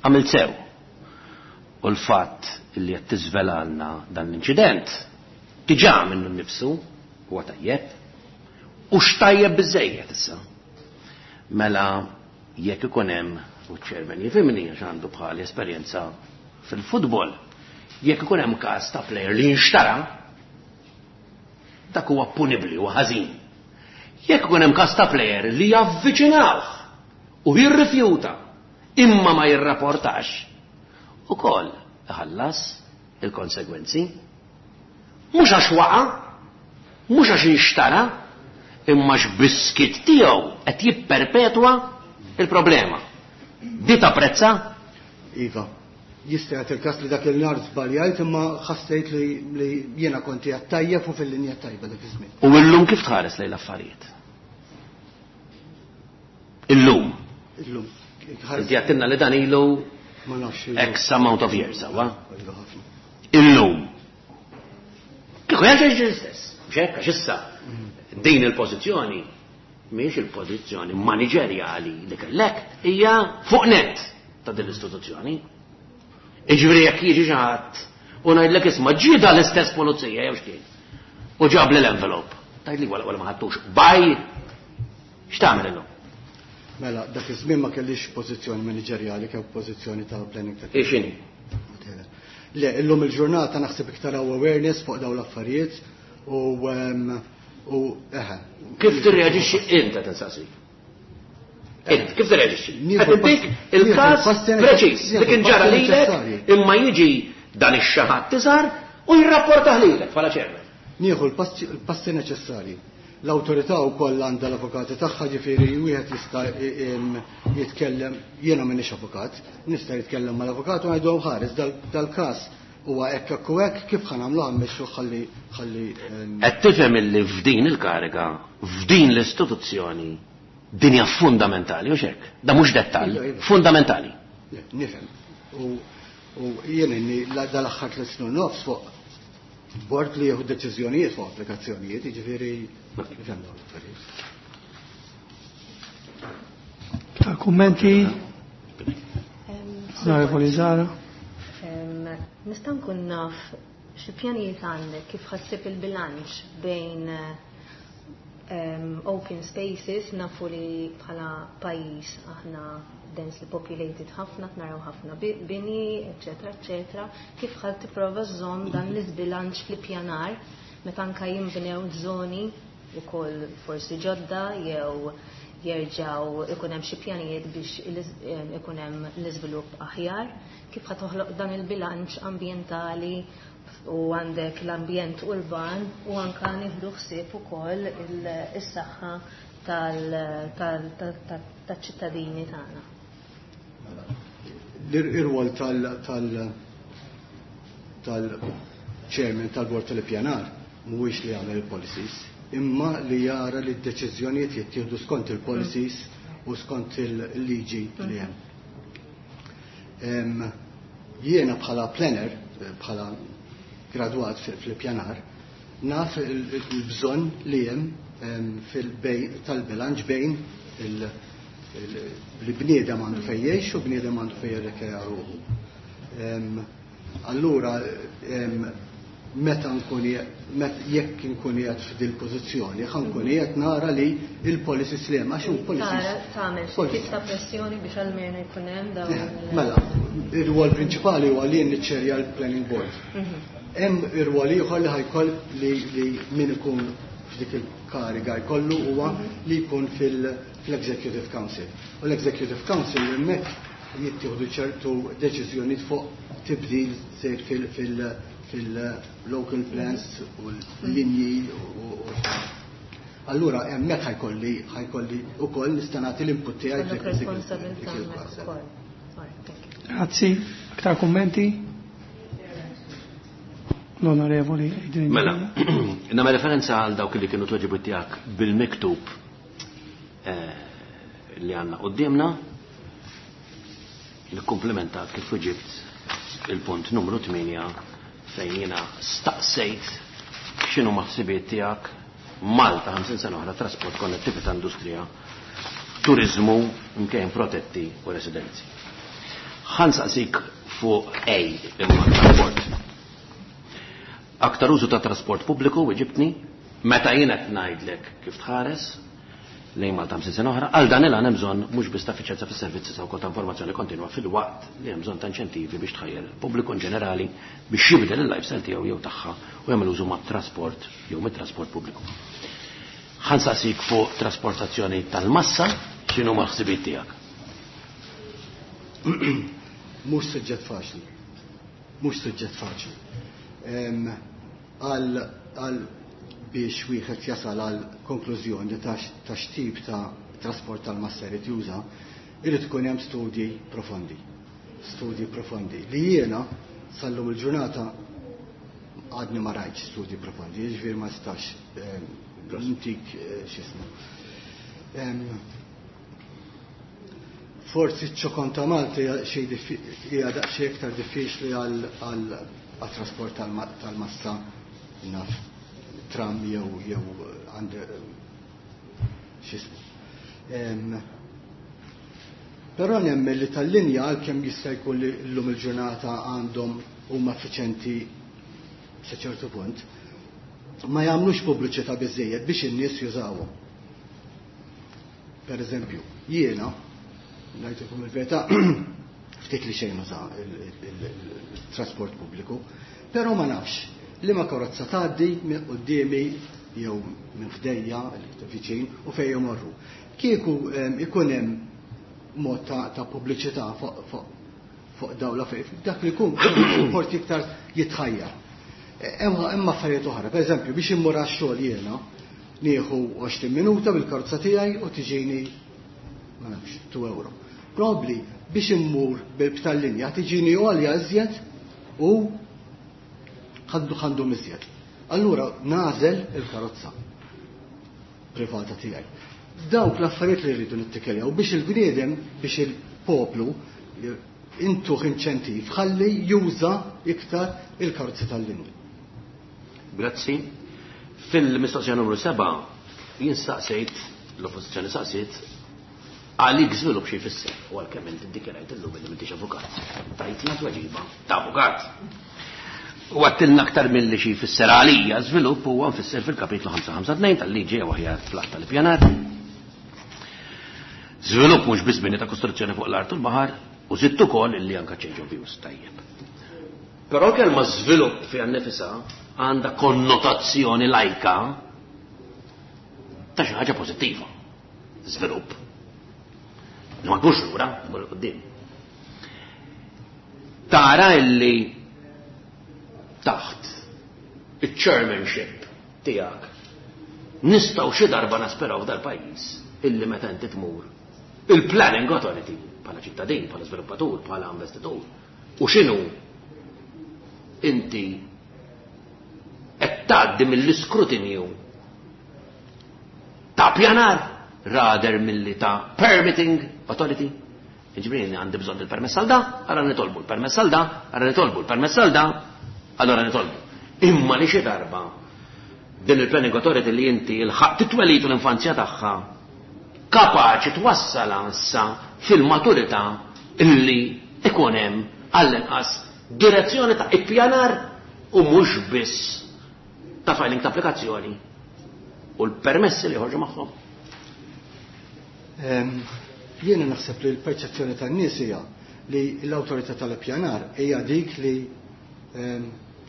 għamilt sew. U l-fatt li qed tiżvelalna dan l-inċident diġà minnu nnifsu huwa tajjeb. U x'tajjeb biżejjed issa. Mela jekk ikun hemm, u ċ-chairman jifhimni għax għandu bħali esperjenza fil-futbol, jekk ikun hemm każ ta' player li jinxtara, dak huwa punibbli u ħażin. Jekk ikun hemm każ ta' player li javviċinawh u jirrifjuta imma ma jirrapportax, ukoll iħallas il-konsegwenzi. Mhux għax waqa', mhux għax inxtara, imma x'biskit tiegħu qed jipperpetwa il-problema. Di tapprezza?
Iva. Jista' jagħti il-każ li dak il-nhar żbaljajt imma ħassejt li, li jiena konti tajjeb u fil-linja tajba dak iż-żmien.
U illum kif tħares lejn l-affarijiet? Illum.
Illum.
Inti għattilna li dan ilu
Ma nafx.
X amount of years, sewwa?
Ilu ħafna.
Illum. Kieku jerġa' jiġri l-istess. Mhux hekk, għax issa din il-pożizzjoni mhijiex il-pożizzjoni maniġerjali li kellek, hija fuq net ta' din l-istituzzjoni. Iġifieri jekk jiġi xi ħadd u ngħidlek isma' ġie da l-istess pulizija jew x'kien. U ġab li l-envelope. Tgħidli wara wara ma ħadtux. Baj! X'tagħmel illum?
Mela, dak iż-żmien ma kellix pożizzjoni maniġerjali, kemm pożizzjoni ta' planning ta'
Ixini?
Le, illum il-ġurnata naħseb iktar hawn awareness fuq dawn l-affarijiet u u eħe.
Kif tirreaġixxi inta tinsaqsi? Int, kif tirreaġixxi? Qed intik il-każ preċiż li kien ġara lilek imma jiġi dan ix-xaħat tiżar u jirrapportah lilek bħala chairman.
Nieħu l-passi neċessarji. L-awtorità wkoll għandha l-avukati tagħha, ġifieri wieħed jista' jitkellem, jiena m'iniex avukat, nista' jitkellem mal-avukat u ngħidhom ħares dal-każ huwa hekk hekk u hekk, kif ħa nagħmluha mmexxu ħalli ħalli.
Qed tifhem illi f'din il-kariga, f'din l-istituzzjoni, din hija fundamentali, u hekk? Da mhux dettall, fundamentali.
Nifhem. U jien inni dal-aħħar tliet snin nofs fuq bord li jieħu deċiżjonijiet fuq applikazzjonijiet, jiġifieri nifhem dawn l-affarijiet.
Ta' kummenti? Onorevoli Zara.
Nista' nkun naf xi pjanijiet għandek kif ħassib il-bilanċ bejn open spaces, nafu li bħala pajjiż aħna densely populated ħafna, naraw ħafna bini, eccetera, eccetera, kif ħad tipprova żżomm dan l-iżbilanċ fl-ippjanar meta anke jinbnew żoni wkoll forsi ġodda jew jerġgħu ikun hemm xi pjanijiet biex ikun hemm l-iżvilupp aħjar, kif ħad toħloq dan il-bilanċ ambjentali u għandek l-ambjent urban u anka nieħdu ħsieb ukoll is-saħħa tal-ċittadini tagħna.
L-irwol tal-chairman tal-bord tal-ippjanar mhuwiex li jagħmel il-policies, imma li jara li d-deċiżjonijiet jittieħdu skont il-policies u skont il-liġi li hemm. Jiena bħala planner, bħala gradwat fil-pjanar, naf il-bżonn li hemm tal-bilanċ bejn Li bniedem għandu fejn jgħix u bniedem għandu fejn jirrekreja ruħu. Allura, meta nkun jekk nkun qiegħed f'dil pożizzjoni, ħa nkun qiegħed nara li il-policies li hemm, għax hu policies.
Tara tagħmel xi tip ta' pressjoni biex almenu jkun hemm dawn.
Mela, ir-rwol prinċipali huwa li niċċerja l-planning board. Hemm ir-rwol ieħor li ħajkoll li min ikun f'dik il-kariga jkollu huwa li jkun fil-Executive Council. U l-Executive Council hemmhekk jittieħdu ċertu deċiżjonijiet fuq tibdil sejr fil- fil-local plans u l-linji u allura hemmhekk ħajkolli ħajkolli ukoll nista' nagħti l-input tiegħi
Għandek responsabilità hemmhekk ukoll.
Grazzi. Aktar kummenti? L-Onorevoli Adrian.
Mela, nagħmel referenza għal dawk li kienu tweġibiet tiegħek bil-miktub li għandna quddiemna, nikkumplimenta kif weġibt il-punt numru tmienja fejn jiena staqsejt x'inhu ħsibiet tiegħek Malta ħamsin sena oħra, trasport, konnettività, industrija, turizmu, mkejjen protetti u residenzi. Ħa nsaqsik fuq A, imma trasport. Aktar użu ta' trasport pubbliku, weġibtni, meta jien qed ngħidlek kif tħares lejn Malta ħamsin sena oħra, għal dan il-għan hemm bżonn mhux biss ta' effiċjenza fis-servizzi sa wkoll ta' informazzjoni kontinwa fil-waqt li hemm bżonn ta' inċentivi biex tħajjer il-pubbliku in ġenerali biex jibdel il-lifestyle tiegħu jew tagħha u jagħmel użu mat-trasport jew mit-trasport pubbliku. Ħa nsaqsik fuq trasportazzjoni tal-massa, x'inhu ma ħsibiet tiegħek?
Mhux suġġett faċli. Mhux suġġett faċli. Għal għal biex wieħed jasal għal konklużjoni ta' x'tip ta' trasport tal-massa jrid juża, irid ikun hemm studji profondi. Studji profondi li jiena sallum il-ġurnata għadni ma rajtx studji profondi, jiġifieri ma nistax ntik x'ismu. Forsi ċ-ċokon ta' Malta hija daqsxejn iktar diffiċli għal trasport tal-massa, naf tram jew jew għand x'ismu. Però nemmen li tal-linja, għalkemm jista' jkun li llum il-ġurnata għandhom huma effiċenti sa ċertu punt, ma jagħmlux pubbliċità biżejjed biex in-nies jużawhom. Per eżempju, jiena ngħidilkom il-verità, ftit li xejn nuża il-trasport pubbliku, però ma nafx li ma karozza tgħaddi minn quddiemi jew minn ħdejja viċin u fejn jmorru. Kieku ikun hemm mod ta', ta' pubbliċità fuq fuq fuq dawla fejn dak li jkun forsi iktar jitħajjar. Hemm affarijiet oħra, pereżempju biex immur għax-xogħol jiena nieħu għoxrin minuta bil-karozza tiegħi u tiġini ma nafx two euro. Probabbli biex immur bil-tal-linja tiġini għolja iżjed u ħaddu ħandu iżjed. Allura nażel il-karozza privata tiegħi. Dawk l-affarijiet li rridu nittikiljaw biex il-bniedem, biex il-poplu intuħ inċentiv ħalli juża iktar il-karozzi tal-linja.
Grazzi. Fil-mistoqsija numru seba' jien saqsejt, l-oppożizzjoni saqsiet, għalik żvilupp xi jfisser, u għalkemm inti ddikjarajt illum li m'intix avukat. Tajtna tweġiba ta' avukat. U għattilna aktar milli xi jfisser għalija żvilupp huwa nfisser fil-kapitlu ħamsa ħamsa tnejn tal-liġi jew aħjar fl-att tal-ippjanar. Żvilupp mhux biss bini ta' kostruzzjoni fuq l-art u l-baħar, u żidt ukoll illi anke change of use tajjeb. Però l-kelma żvilupp fiha nnifisha għandha konnotazzjoni lajka ta' xi ħaġa pożittiva. Żvilupp. Ma tmurx lura, tmur 'il quddiem. Tara illi taħt il-chairmanship tiegħek nistgħu xi darba nasperaw f'dal-pajjiż illi meta inti tmur il-planning authority bħala ċittadin, bħala żviluppatur, bħala investitur, u x'inhu inti qed tgħaddi mill-iskrutinju ta' pjanar rather milli ta' permitting authority. Jiġifieri għandi bżonn il-permess għal da, allora nitolbu l-permess għal da, allora nitolbu l-permess għal da, allora nitolbu. Imma li xi darba din il-planning authority li inti il-ħaq titwelitu l-infanzja tagħha kapaċi twassalha issa fil-maturità illi ikun hemm għall-inqas direzzjoni ta' ippjanar u mhux biss ta' filing ta' applikazzjoni u l-permessi li joħorġu magħhom.
Jiena naħseb li l-perċezzjoni tan-nies hija li l-awtorità tal-ippjanar hija dik li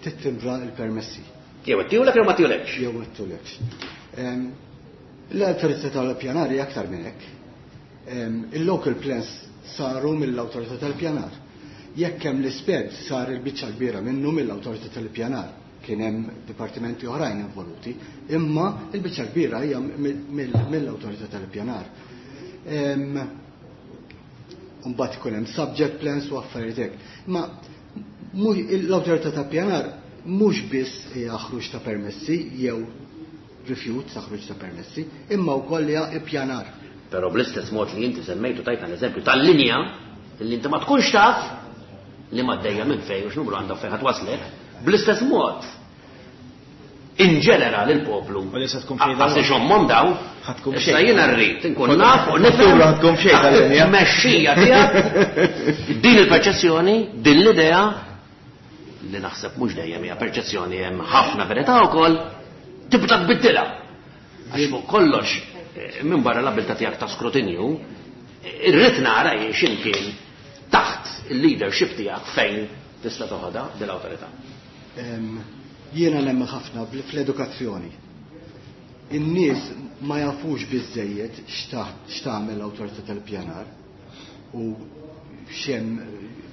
tittimbra l-permessi.
Jew ittihulek jew ma ttihulekx.
Jew ma ttihulekx. L-awtorità tal-ippjanar hija aktar minn hekk. Il-local plans saru mill-awtorità tal-ippjanar. Jekk hemm l-isped sar il-biċċa kbira minnu mill-awtorità tal-ippjanar. Kien hemm dipartimenti oħrajn involuti, imma il-biċċa kbira hija mill-awtorità tal-ippjanar. Mbagħad ikun hemm subject plans u affarijiet hekk. Ma l-awtorità tal-ippjanar mhux biss hija ħruġ ta' permessi jew rifjut ta' ħruġ ta' permessi, imma wkoll hija ippjanar.
Però bl-istess mod li inti semmejtu tajtna l-eżempju tal-linja li inti ma tkunx taf li ma ddejja minn fejn u x'numru għandha fejn ħadd waslek, bl-istess mod in ġenerali l-poplu.
U li se tkun xejn
Għasli xommom daw,
Ħatkun
issa
xejn.
jiena rrid inkun naf u nifhem
ħatkun xejn tal-linja.
Mexxija tiegħek din il-perċezzjoni, din l-idea li naħseb mhux dejjem hija perċezzjoni hemm ħafna verità wkoll tibda tbiddilha. Għax fuq kollox eh, minn barra l-abilità tiegħek ta' skrutinju, irrid nara jien x'imkien taħt il-leadership tiegħek fejn tista' toħodha din l-awtorità.
Jiena nemmen ħafna fl-edukazzjoni. In-nies ma jafux biżejjed x'tagħmel l-awtorità tal-ippjanar u x'hemm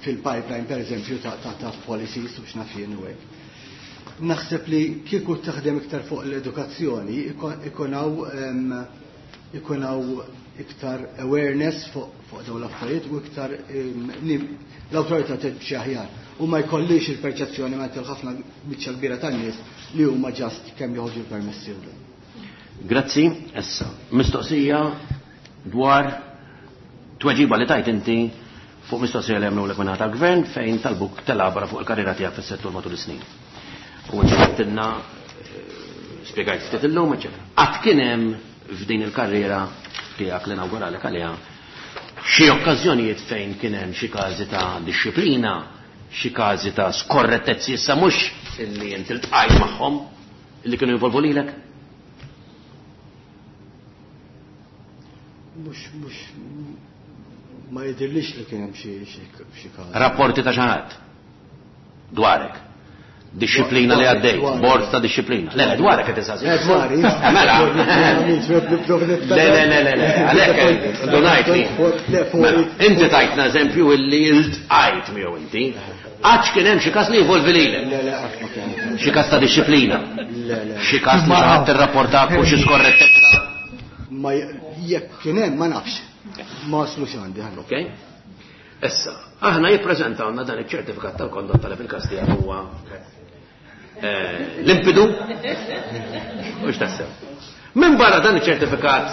fil-pipeline pereżempju ta' ta' ta' policies u x'naf jien u hekk. Naħseb li kieku taħdem iktar fuq l-edukazzjoni ikun hawn ikun hawn iktar awareness fuq fuq dawn l-affarijiet u iktar l-awtorità timxi aħjar. U ma jkollix il-perċezzjoni ma ħafna biċċa kbira tan-nies li huma just kemm joħorġu l-permessi u le.
Grazzi, issa, mistoqsija dwar tweġiba li tajt inti fuq mistoqsija li għamlu l tal-gvern fejn talbuk telabra fuq il-karriera tiegħek fis-settur matul is-snin. U inti għedtilna spjegajt ftit illum, eċetera. Qatt kien hemm f'din il-karriera tiegħek li nawguralek għaliha xi okkażjonijiet fejn kien hemm xi każi ta' disċiplina, xi każi ta' skorrettezzi issa mhux illi inti ltqajt magħhom illi kienu jinvolvu lilek?
Mhux mhux ma jidhirlix li kien hemm xi xi każ.
Rapporti ta' xi ħadd dwarek. Disċiplina li għaddejt, bord ta' disċiplina. Le, le, dwarek qed insaqsi.
Eh, dwari.
Mela. Le, le, le, le, le, għalhekk donajt li. Mela, inti tajtna eżempju illi iltqajt miegħu inti. Għadx kien hemm xi każ li jinvolvi lilek.
Le, le, qatt ma kien.
Xi każ ta' disċiplina.
Le, le.
Xi każ li xi ħadd irrapportak u xi skorrettezza.
Ma jekk kien hemm ma nafx. Ma waslux għandi ħallu.
Ok? Issa, aħna jippreżentawna dan iċ-ċertifikat tal-kondotta li fil-każ tiegħek huwa eh, limpidu u x'tassew. Minn barra dan iċ-ċertifikat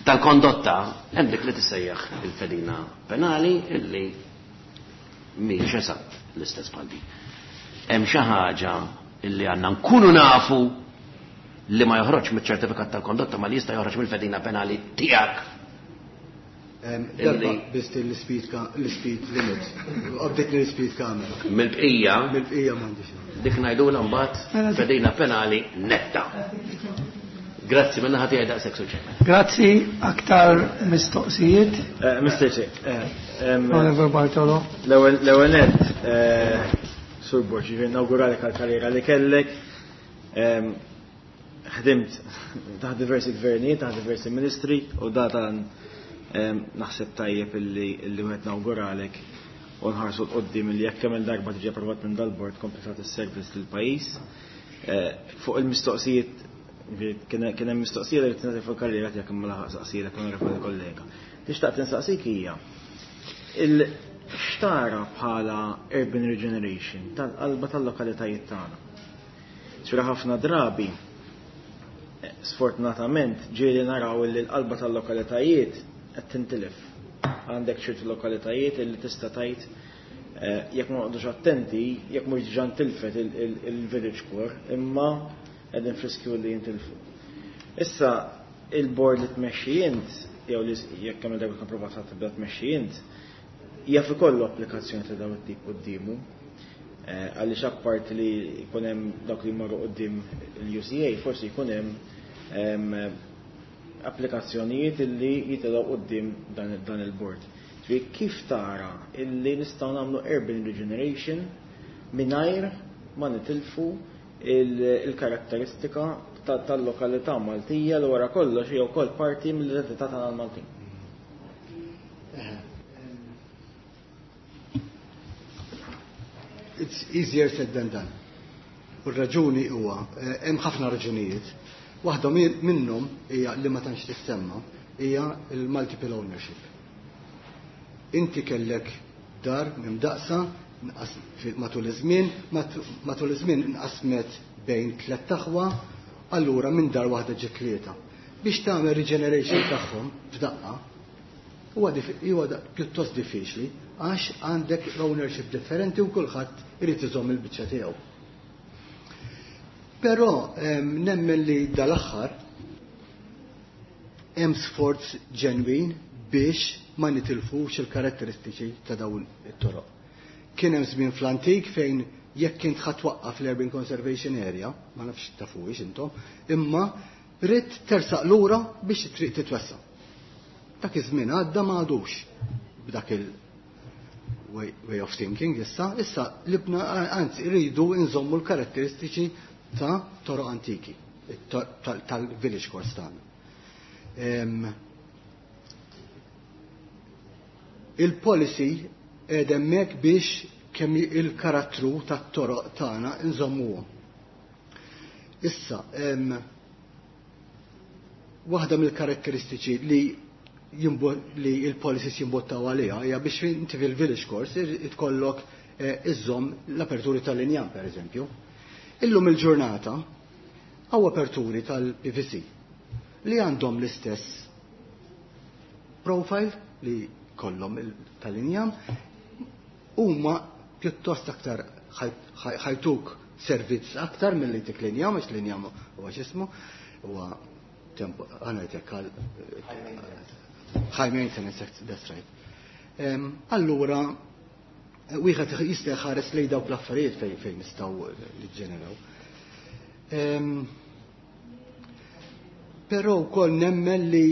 tal-kondotta hemm dik li tissejjaħ il-fedina penali illi mhijiex eżatt l-istess bħal din. Hemm xi ħaġa illi għandna nkunu nafu li ma joħroġ miċ-ċertifikat tal-kondotta ma li jista' joħroġ mill-fedina penali tiegħek.
Darba biss l-speed l-speed limit. Qabditni l-speed camera.
Mill-bqija,
Mill-bqija m'għandix.
dik ngħidulha mbagħad fedina penali netta. Grazzi minn naħa tiegħi daqshekk suċċess.
Grazzi, aktar mistoqsijiet.
Eh, Mister Chair, eh, em,
Oliver Bartolo.
L-ewwel l-ewwel nett, eh, Sur Borg, jiġifieri nawguralek għall-karriera li kellek. Em, Ħdimt taħt diversi gvernijiet, taħt diversi ministri u datan naħseb tajjeb illi illi wieħed nawguralek u nħarsu 'l quddiem illi jekk kemm il-darba tiġi approvat minn dal-bord kompli tagħti s-servizz lill-pajjiż. Eh, Fuq il-mistoqsijiet kien kien hemm mistoqsija li tingħati fuq karriera tiegħek imma laħaq saqsija onorevoli kollega. Tixtaq tinsaqsik hija il xtara bħala urban regeneration tal-qalba tal-lokalitajiet tagħna. Ċura ħafna drabi eh, sfortunatament ġieli naraw li l-qalba tal-lokalitajiet qed tintilef. Għandek ċertu lokalitajiet illi tista' tgħid eh, jekk ma noqgħodux attenti, jekk mhux diġà ntilfet il-village core, imma qegħdin friskju li jintilfu. Issa Il-board li tmexxi int, jew li jekk kemm darba tkun provat tibda tmexxi int, jaf ikollu applikazzjoni ta' dawn it-tip quddiemu. Eh, għaliex apparti li jkun hemm dawk li jmorru quddiem il-U C A, forsi jkun hemm applikazzjonijiet illi jitilgħu quddiem dan il-board. Kif tara illi nistgħu nagħmlu urban regeneration mingħajr ma nitilfu il-karatteristika tal-lokalità Maltija li wara kollox hija wkoll parti mill-identità tagħna l-Maltin?
It's easier said than done. U r-raġuni huwa, eh, hemm ħafna raġunijiet. Waħda minnhom hija li ma tantx tissemma hija l-multiple ownership. Inti kellek dar mimdaqsa matul iż-żmien, matul iż-żmien inqasmet bejn tliet aħwa, allura minn dar waħda ġiet tlieta. Biex tagħmel regeneration tagħhom f'daqqa huwa huwa pjuttost diffiċli għax għandek ownership differenti u kulħadd irid iżomm il-biċċa tiegħu. Però nemmen li dal-aħħar hemm sforz ġenwin biex ma nitilfux il-karatteristiċi ta' dawn it-toroq. Kien hemm żmien fl-antik fejn jekk kint ħa twaqqaf l-Urban Conservation Area, ma nafx tafuhiex intom, imma ridt tersaq lura biex it-triq titwessa'. Dak iż-żmien għadda, ma għadux b'dak il way, way of thinking issa, issa libna, anzi rridu nżommu l-karatteristiċi ta' toroq antiki, tal-village cores tagħna. Il-policy hemmhekk biex kemm il-karattru tat-toroq tagħna nżommuhom. Issa, waħda mill-karatteristiċi li li il-policies jimbottaw għaliha hija biex inti fil-village cores ikollok eh, iżżomm l-aperturi tal-injam, per eżempju. Illum il-ġurnata hawn aperturi tal-P V C li għandhom l-istess profile li kollhom tal-injam, huma pjuttost aktar ħa jtuk servizz aktar milli tik l-injam, għax l-injam huwa x'ismu, huwa tempo għanajtek għal high maintenance, that's right. Allura, wieħed jista' jħares lejn dawk l-affarijiet fejn fejn nistgħu niġġeneraw. Però wkoll nemmen li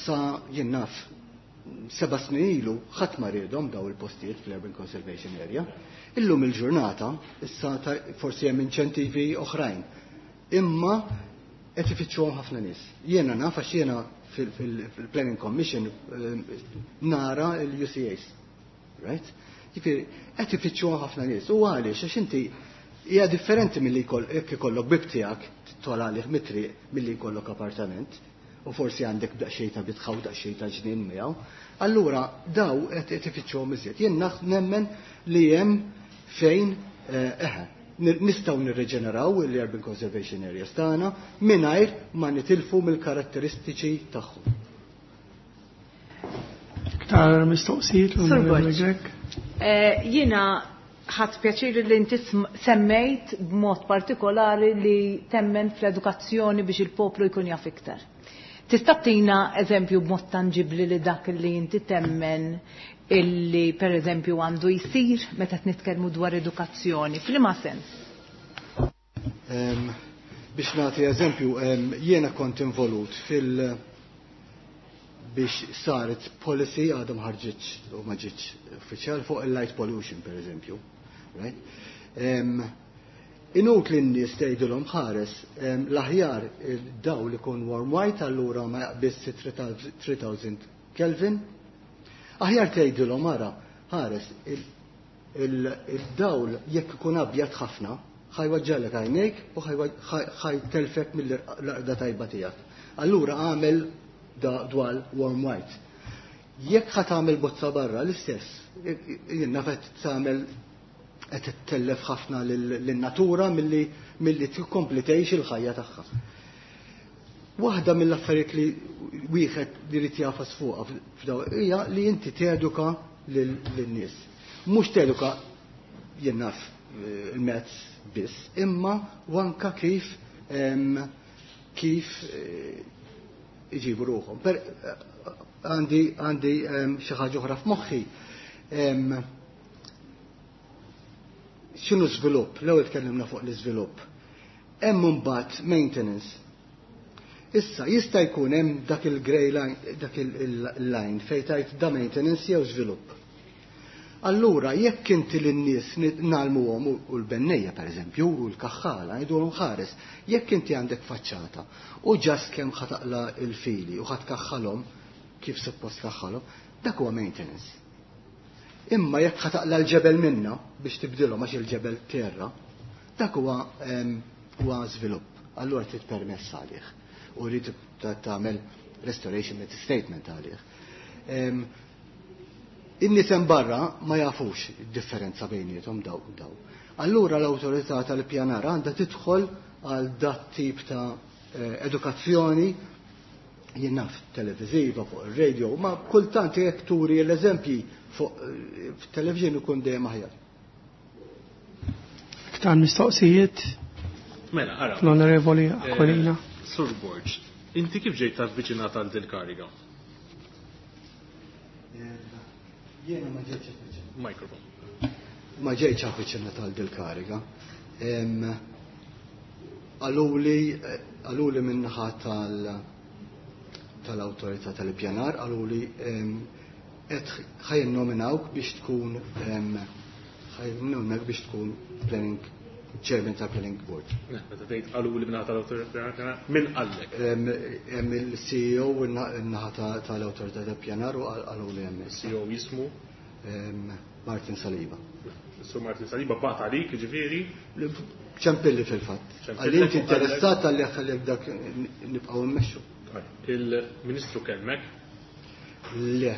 sa jien naf seba' snin ilu ħadd ma riedhom daw il-postijiet fl-Urban Conservation Area. Illum il-ġurnata issa forsi hemm inċentivi oħrajn. Imma qed ifittxuhom ħafna nies. Jiena naf għax jiena fil-Planning Commission nara l-U C As. Right? Jiġifieri qed ifittxuhom ħafna nies. U għaliex? Għax inti hija differenti milli jekk ikollok bib tiegħek tola għalih mit-triq milli jkollok appartament u forsi għandek daqsxejn ta' bitħa u daqsxejn ta' ġnien miegħu. Allura daw qed ifittxuhom iżjed. Jien nemmen li hemm fejn eh, eħe nistgħu nirreġeneraw l-Urban Conservation Areas tagħna mingħajr ma nitilfu mill-karatteristiċi tagħhom.
Iktar mistoqsijiet, l-Onorevoli Grech?
Eh, jiena ħadt pjaċir li inti semmejt b'mod partikolari li temmen fl-edukazzjoni biex il-poplu jkun jaf iktar. Tista' tina eżempju b'mod tangibli li dak li inti temmen illi per eżempju għandu jsir meta nitkellmu dwar edukazzjoni? F'liema sens?
Um, biex nagħti eżempju, um, jiena kont involut fil- biex saret policy, għadha ma ħarġitx u ma ġietx uffiċjal, fuq il-light pollution, per eżempju. Right? Um, inutli n-nies tgħidilhom ħares l-aħjar dawl ikun warm white, allura ma jaqbiż tliet elef Kelvin. Aħjar tgħidilhom ara ħares il-dawl jekk ikun abjad ħafna ħa jweġġagħlek għajnejk u ħa jtellfek mill-raqda tajba tiegħek. Allura għamel dwal warm white. Jekk ħa tagħmel bozza barra l-istess, jien naf qed tagħmel qed ittellef ħafna lin-natura milli milli tkompli tgħix il-ħajja tagħha. Waħda mill-affarijiet li wieħed li jrid jagħfas fuqha f'daw hija li inti teduka lin-nies. Mhux teduka, jien naf, il-mezz biss, imma anka kif kif iġibu ruħhom. Għandi għandi xi ħaġa oħra f'moħħi. X'inhu żvilupp? L-ewwel tkellimna fuq l-iżvilupp. Hemm imbagħad maintenance. Issa jista' jkun hemm dak il-grey line, dak il-line fejn tgħid da maintenance jew żvilupp. Allura jekk inti lin-nies nagħlmuhom u l-bennejja pereżempju u l-kaħħala ngħidulhom ħares, jekk inti għandek faċċata u ġast kemm ħataqla l-fili u ħatkaħħalhom kif suppost kaħħalhom, dak huwa maintenance. Imma jekk ħataqla l-ġebel minna biex tibdilhom għax il-ġebel terra, dak huwa huwa żvilupp. Allura trid permess għalih u rrid tagħmel restoration statement għalih. In-nies hemm barra ma jafux id-differenza bejniethom daw u daw. Allura l-awtorità tal-ippjanar għandha tidħol għal dat tip ta' edukazzjoni, jien naf televiżiva fuq ir-radio, ma kultant jekk turi l-eżempji fuq television ikun dejjem aħjar.
Iktar mistoqsijiet?
Mela, ara.
L-Onorevoli Aquilina.
Sur Borg, inti kif ġejt avviċinata għal dil-kariga?
Jiena ma ġejtx avviċinata.
Microphone.
Ma ġejtx avviċinata għal dil-kariga. Għaluli għaluli minnaħa tal tal-awtorità tal-ippjanar, għaluli qed ħajn nominawk biex tkun ħajn biex tkun planning chairman tal-planning board.
Meta tgħid qaluli minnaħa tal-awtorità tal-ippjanar, min qallek?
Hemm il-C E O in-naħa tal-awtorità tal-ippjanar u qaluli hemm.
C E O jismu?
Martin Saliba.
Sur Martin Saliba bat għalik, ġifieri?
Ċempilli fil-fatt. Għalli inti interessat għalli ħalli dak nibqgħu mmexxu.
Il-Ministru kellmek?
Le.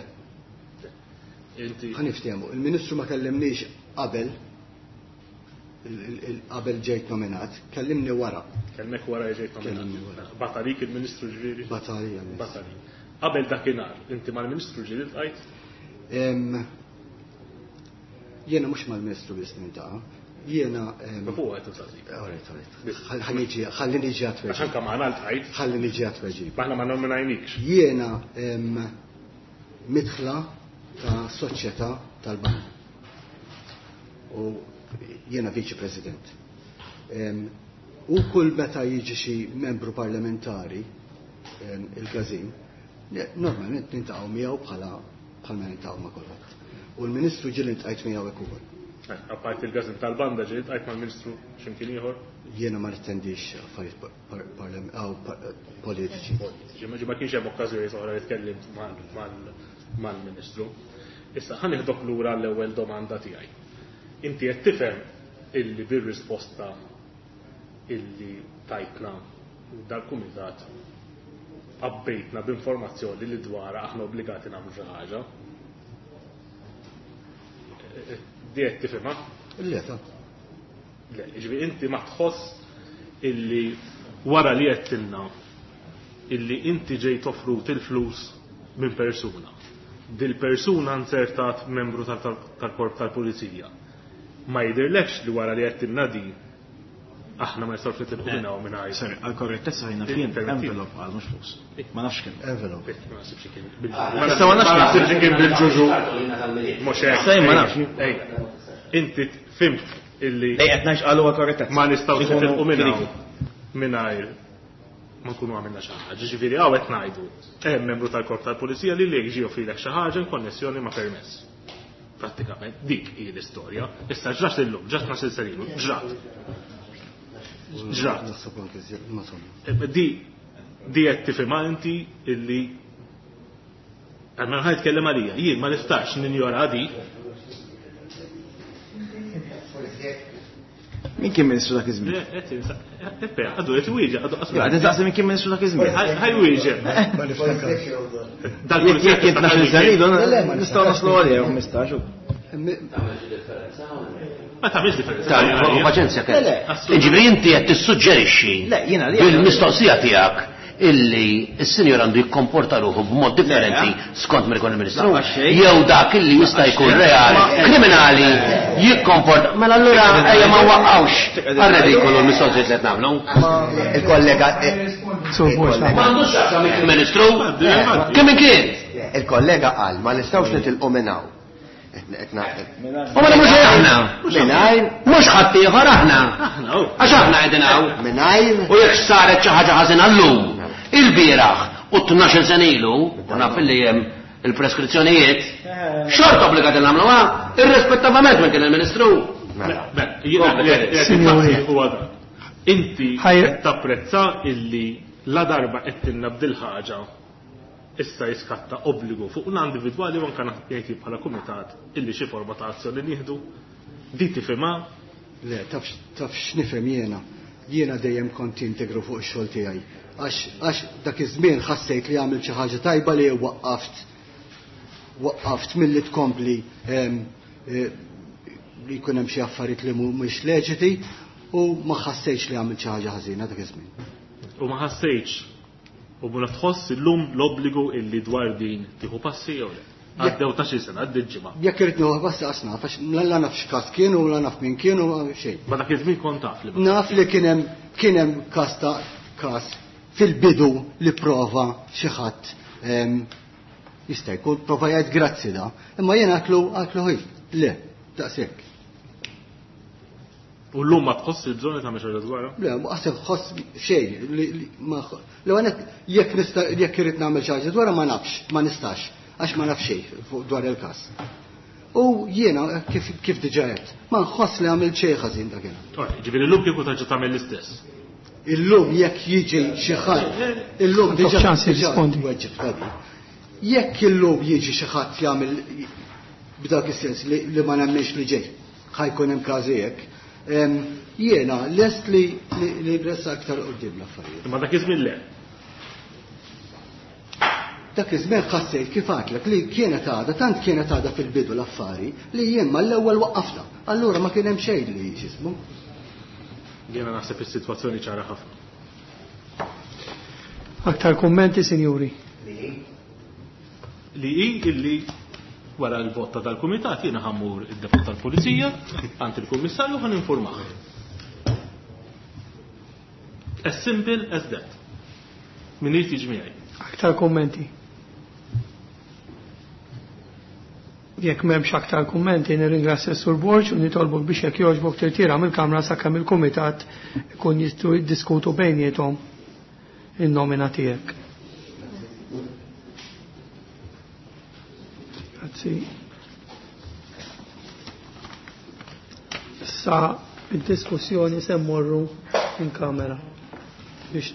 Inti.
Ħa niftehmu, il-Ministru ma kellimniex qabel, qabel ġejt nominat, kellimni wara.
Kellmek wara ġejt nominat.
Kellimni wara.
Bat għalik il-Ministru ġifieri?
Bat għalija, miss.
Bat għalik. Qabel dakinhar, inti mal-Ministru ġieli ltqajt?
Jiena mhux mal-Ministru biss nintaqa'. Jiena,
Ma fuq qed insaqsik.
Alright, alright. Ħalli niġi, ħalli niġi għat-tweġib.
Għax anke maħna ltqajt.
Ħalli niġi għat-tweġib.
Maħna ma nominajnikx.
Jiena midħla ta' soċjetà tal-bank. U jiena viċi president. U kull meta jiġi xi membru parlamentari il-każin, normalment nintaqgħu miegħu bħala bħalma nintaqgħu ma' kulħadd. U l-Ministru ġieli ntqajt miegħu hekk ukoll.
Apparti il-każin tal-banda ġieli ntqajt mal-Ministru x'imkien ieħor?
Jiena ma nittendix affarijiet politiċi.
Politiċi, ma kienx hemm okkażjoni oħra li tkellimt mal-Ministru. Issa ħa nieħdok lura l-ewwel domanda tiegħi. Inti qed tifhem illi bir-risposta illi tajtna dal-kumitat abbejtna b'informazzjoni li dwarha aħna obbligati nagħmlu xi ħaġa. Di qed tifhimha?
Le, ta.
Le, jiġifieri inti ma tħoss illi wara li għedtilna illi inti ġejt offrut il-flus minn persuna. Dil-persuna nzertat membru tal-korp tal-pulizija. Ma jidirlekx li wara li għedtilna di aħna ma nistgħux nitilqu minn hawn minn hawn.
Sorry, għal-korrettezza ħajna fien
Interventi.
envelope għal mhux flus. Ma nafx kemm.
Envelope.
Ma naħsibx kien
Ah,
bil-
issa ma nafx
ma naħsibx kien bil-ġuġu. Mhux hekk.
Issa jien ma nafx.
Ej, inti fimt illi
Lej qed ngħix qalu għal-korrettezza.
ma nistgħux
Ikunu
nitilqu minn hawn
finiti.
mingħajr ma nkunu għamilna xi ħaġa. Ġifieri hawn qed ngħidu hemm membru tal-korp tal-pulizija li lek ġie joffrilek xi ħaġa in konnessjoni ma' permess. Prattikament dik hi l-istorja. Issa ġrat illum, ġrat ma' silselilu, ġrat. Ġrat.
Naħseb anke żjed, ma somma.
Di, di qed tifhimha inti illi għal ħa jitkellem għalija, jien ma nistax ninjora di.
Min kien ministru dak iż-żmien?
Le, qed insa-, qed pe, għadu qed iwieġeb, għadu qasma.
Għadu insaqsi min kien ministru dak iż-żmien.
Ħaj wieġeb.
Ma niftakarx.
Dal
Jekk jekk kien tnax-il sena ilu,
Le, le, ma
nistgħu naslu għalih jew ħmistax.
Ma tagħmilx differenza.
Ta' paċenzja
Le,
kell.
le.
Ġifieri inti qed tissuġġerixxi
Le, jiena li-
bil-mistoqsija tiegħek illi s-sinjor għandu jikkomporta ruħu b'mod differenti
Le.
skont mir ikun il-Ministru.
Laqqa xejn.
Jew dak illi jista' jkun
Laqqa xejn.
reali,
Ma-
kriminali, jikkomporta. Mela allura ejja ma waqqawx għar-redikolu l-mistoqsijiet li qed nagħmlu.
Il-kollega, eh,
Sur Borg.
Ma għandux x'jaqsam il-Ministru. Kemm kien?
Il-kollega qal ma nistgħux nitilqu minn hawn.
U ma mhux aħna.
Mingħajr
mhux ħadd ieħor aħna. Għax aħna qegħdin hawn.
Mingħajr.
U jekk saret xi ħaġa ħażina llum, il-bieraħ u tnax-il sena ilu, u naf li hemm il-preskrizzjonijiet, xorta obbligati nagħmluha, irrispettavament minn kien il-Ministru.
Signori.
Inti tapprezza illi la darba qed tilna b'dil ħaġa issa jiskatta obbligu fuq una individwali u anke jgħid bħala kumitat illi xi forma ta' azzjoni nieħdu. Di tifhimha?
Le, taf taf x'nifhem jiena. Jiena dejjem kont integru fuq ix-xogħol tiegħi. Għax għax dak iż-żmien ħassejt li għamilt xi ħaġa tajba li waqqaft waqqaft milli tkompli li jkun hemm xi affarijiet li mhumiex leġiti u ma ħassejtx li għamilt xi ħaġa ħażina dak iż-żmien.
U ma ħassejtx u ma tħoss illum l-obbligu illi dwar din tieħu passi jew le? Għaddew ta' xi sena, għaddew ġimgħa.
Jekk irid nieħu passi għax naf, għax la naf x'każ kien u la naf min kien u xejn.
Ma dak iż-żmien kont taf li
naf li kien hemm kien hemm każ ta' każ fil-bidu li prova xi ħadd jista' jkun prova jgħid grazzi da, imma jien għatlu għatlu ħi, le, daqshekk.
U llum ma tħoss il-bżonn li tagħmel xi ħaġa dwarha?
Le, ma qaseb tħoss xejn li ma l għanet jekk nista' jekk irid nagħmel xi ħaġa dwarha ma nafx, ma nistax, għax ma naf xejn fuq dwar il-każ. U jiena kif kif diġà għedt, ma nħoss li għamilt xejn ħażin dakinhar.
Ġifieri llum kieku terġa' tagħmel l-istess.
Illum jekk jiġi xi ħadd, illum diġà weġġib. Jekk illum jiġi xi ħadd jagħmel b'dak is-sens li ma nemminx li ġej, ħajkun hemm każi hekk. Jiena lest li li nressa aktar quddiem l-affarijiet.
Imma dak iż-żmien le.
Dak iż-żmien ħassejt kif għadlek li kienet għadha, tant kienet għadha fil-bidu l-affari li jien mal-ewwel waqqafna. Allura ma kien hemm xejn li x'ismu.
Jiena naħseb is-sitwazzjoni ċara ħafna.
Aktar kummenti, sinjuri?
Li hi illi wara l-vot ta' dal-kumitat jiena ħammur id-depot tal-pulizija għand il-kummissarju ħan informah. As simple as that. Min irid jiġi miegħi.
Aktar kummenti? Jekk m'hemmx aktar kummenti, nirringrazzja s-Sur Borg u nitolbok biex jekk jogħġbok tirtira mill-Kamra sakemm il-Kumitat ikun jistgħu jiddiskutu bejniethom in-nomina tiegħek. Grazzi. Sa id-diskussjoni se mmorru in kamera biex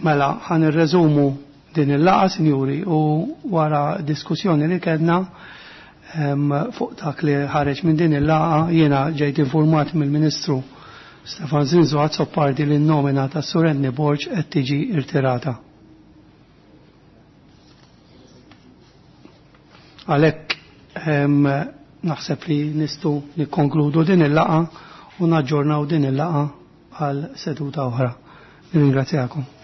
Mela, ħa nirreżumu din il-laqgħa, sinjuri, u wara diskussjoni li kellna fuq dak li ħareġ minn din il-laqgħa, jiena ġejt informat mill-Ministru Stefan Zinzu Azzopardi li n-nomina ta' Sur Anthony Borg qed tiġi irtirata. Għalhekk naħseb li nistgħu nikkonkludu din il-laqgħa u naġġornaw din il-laqgħa għal seduta oħra. Nirringrazzjakom.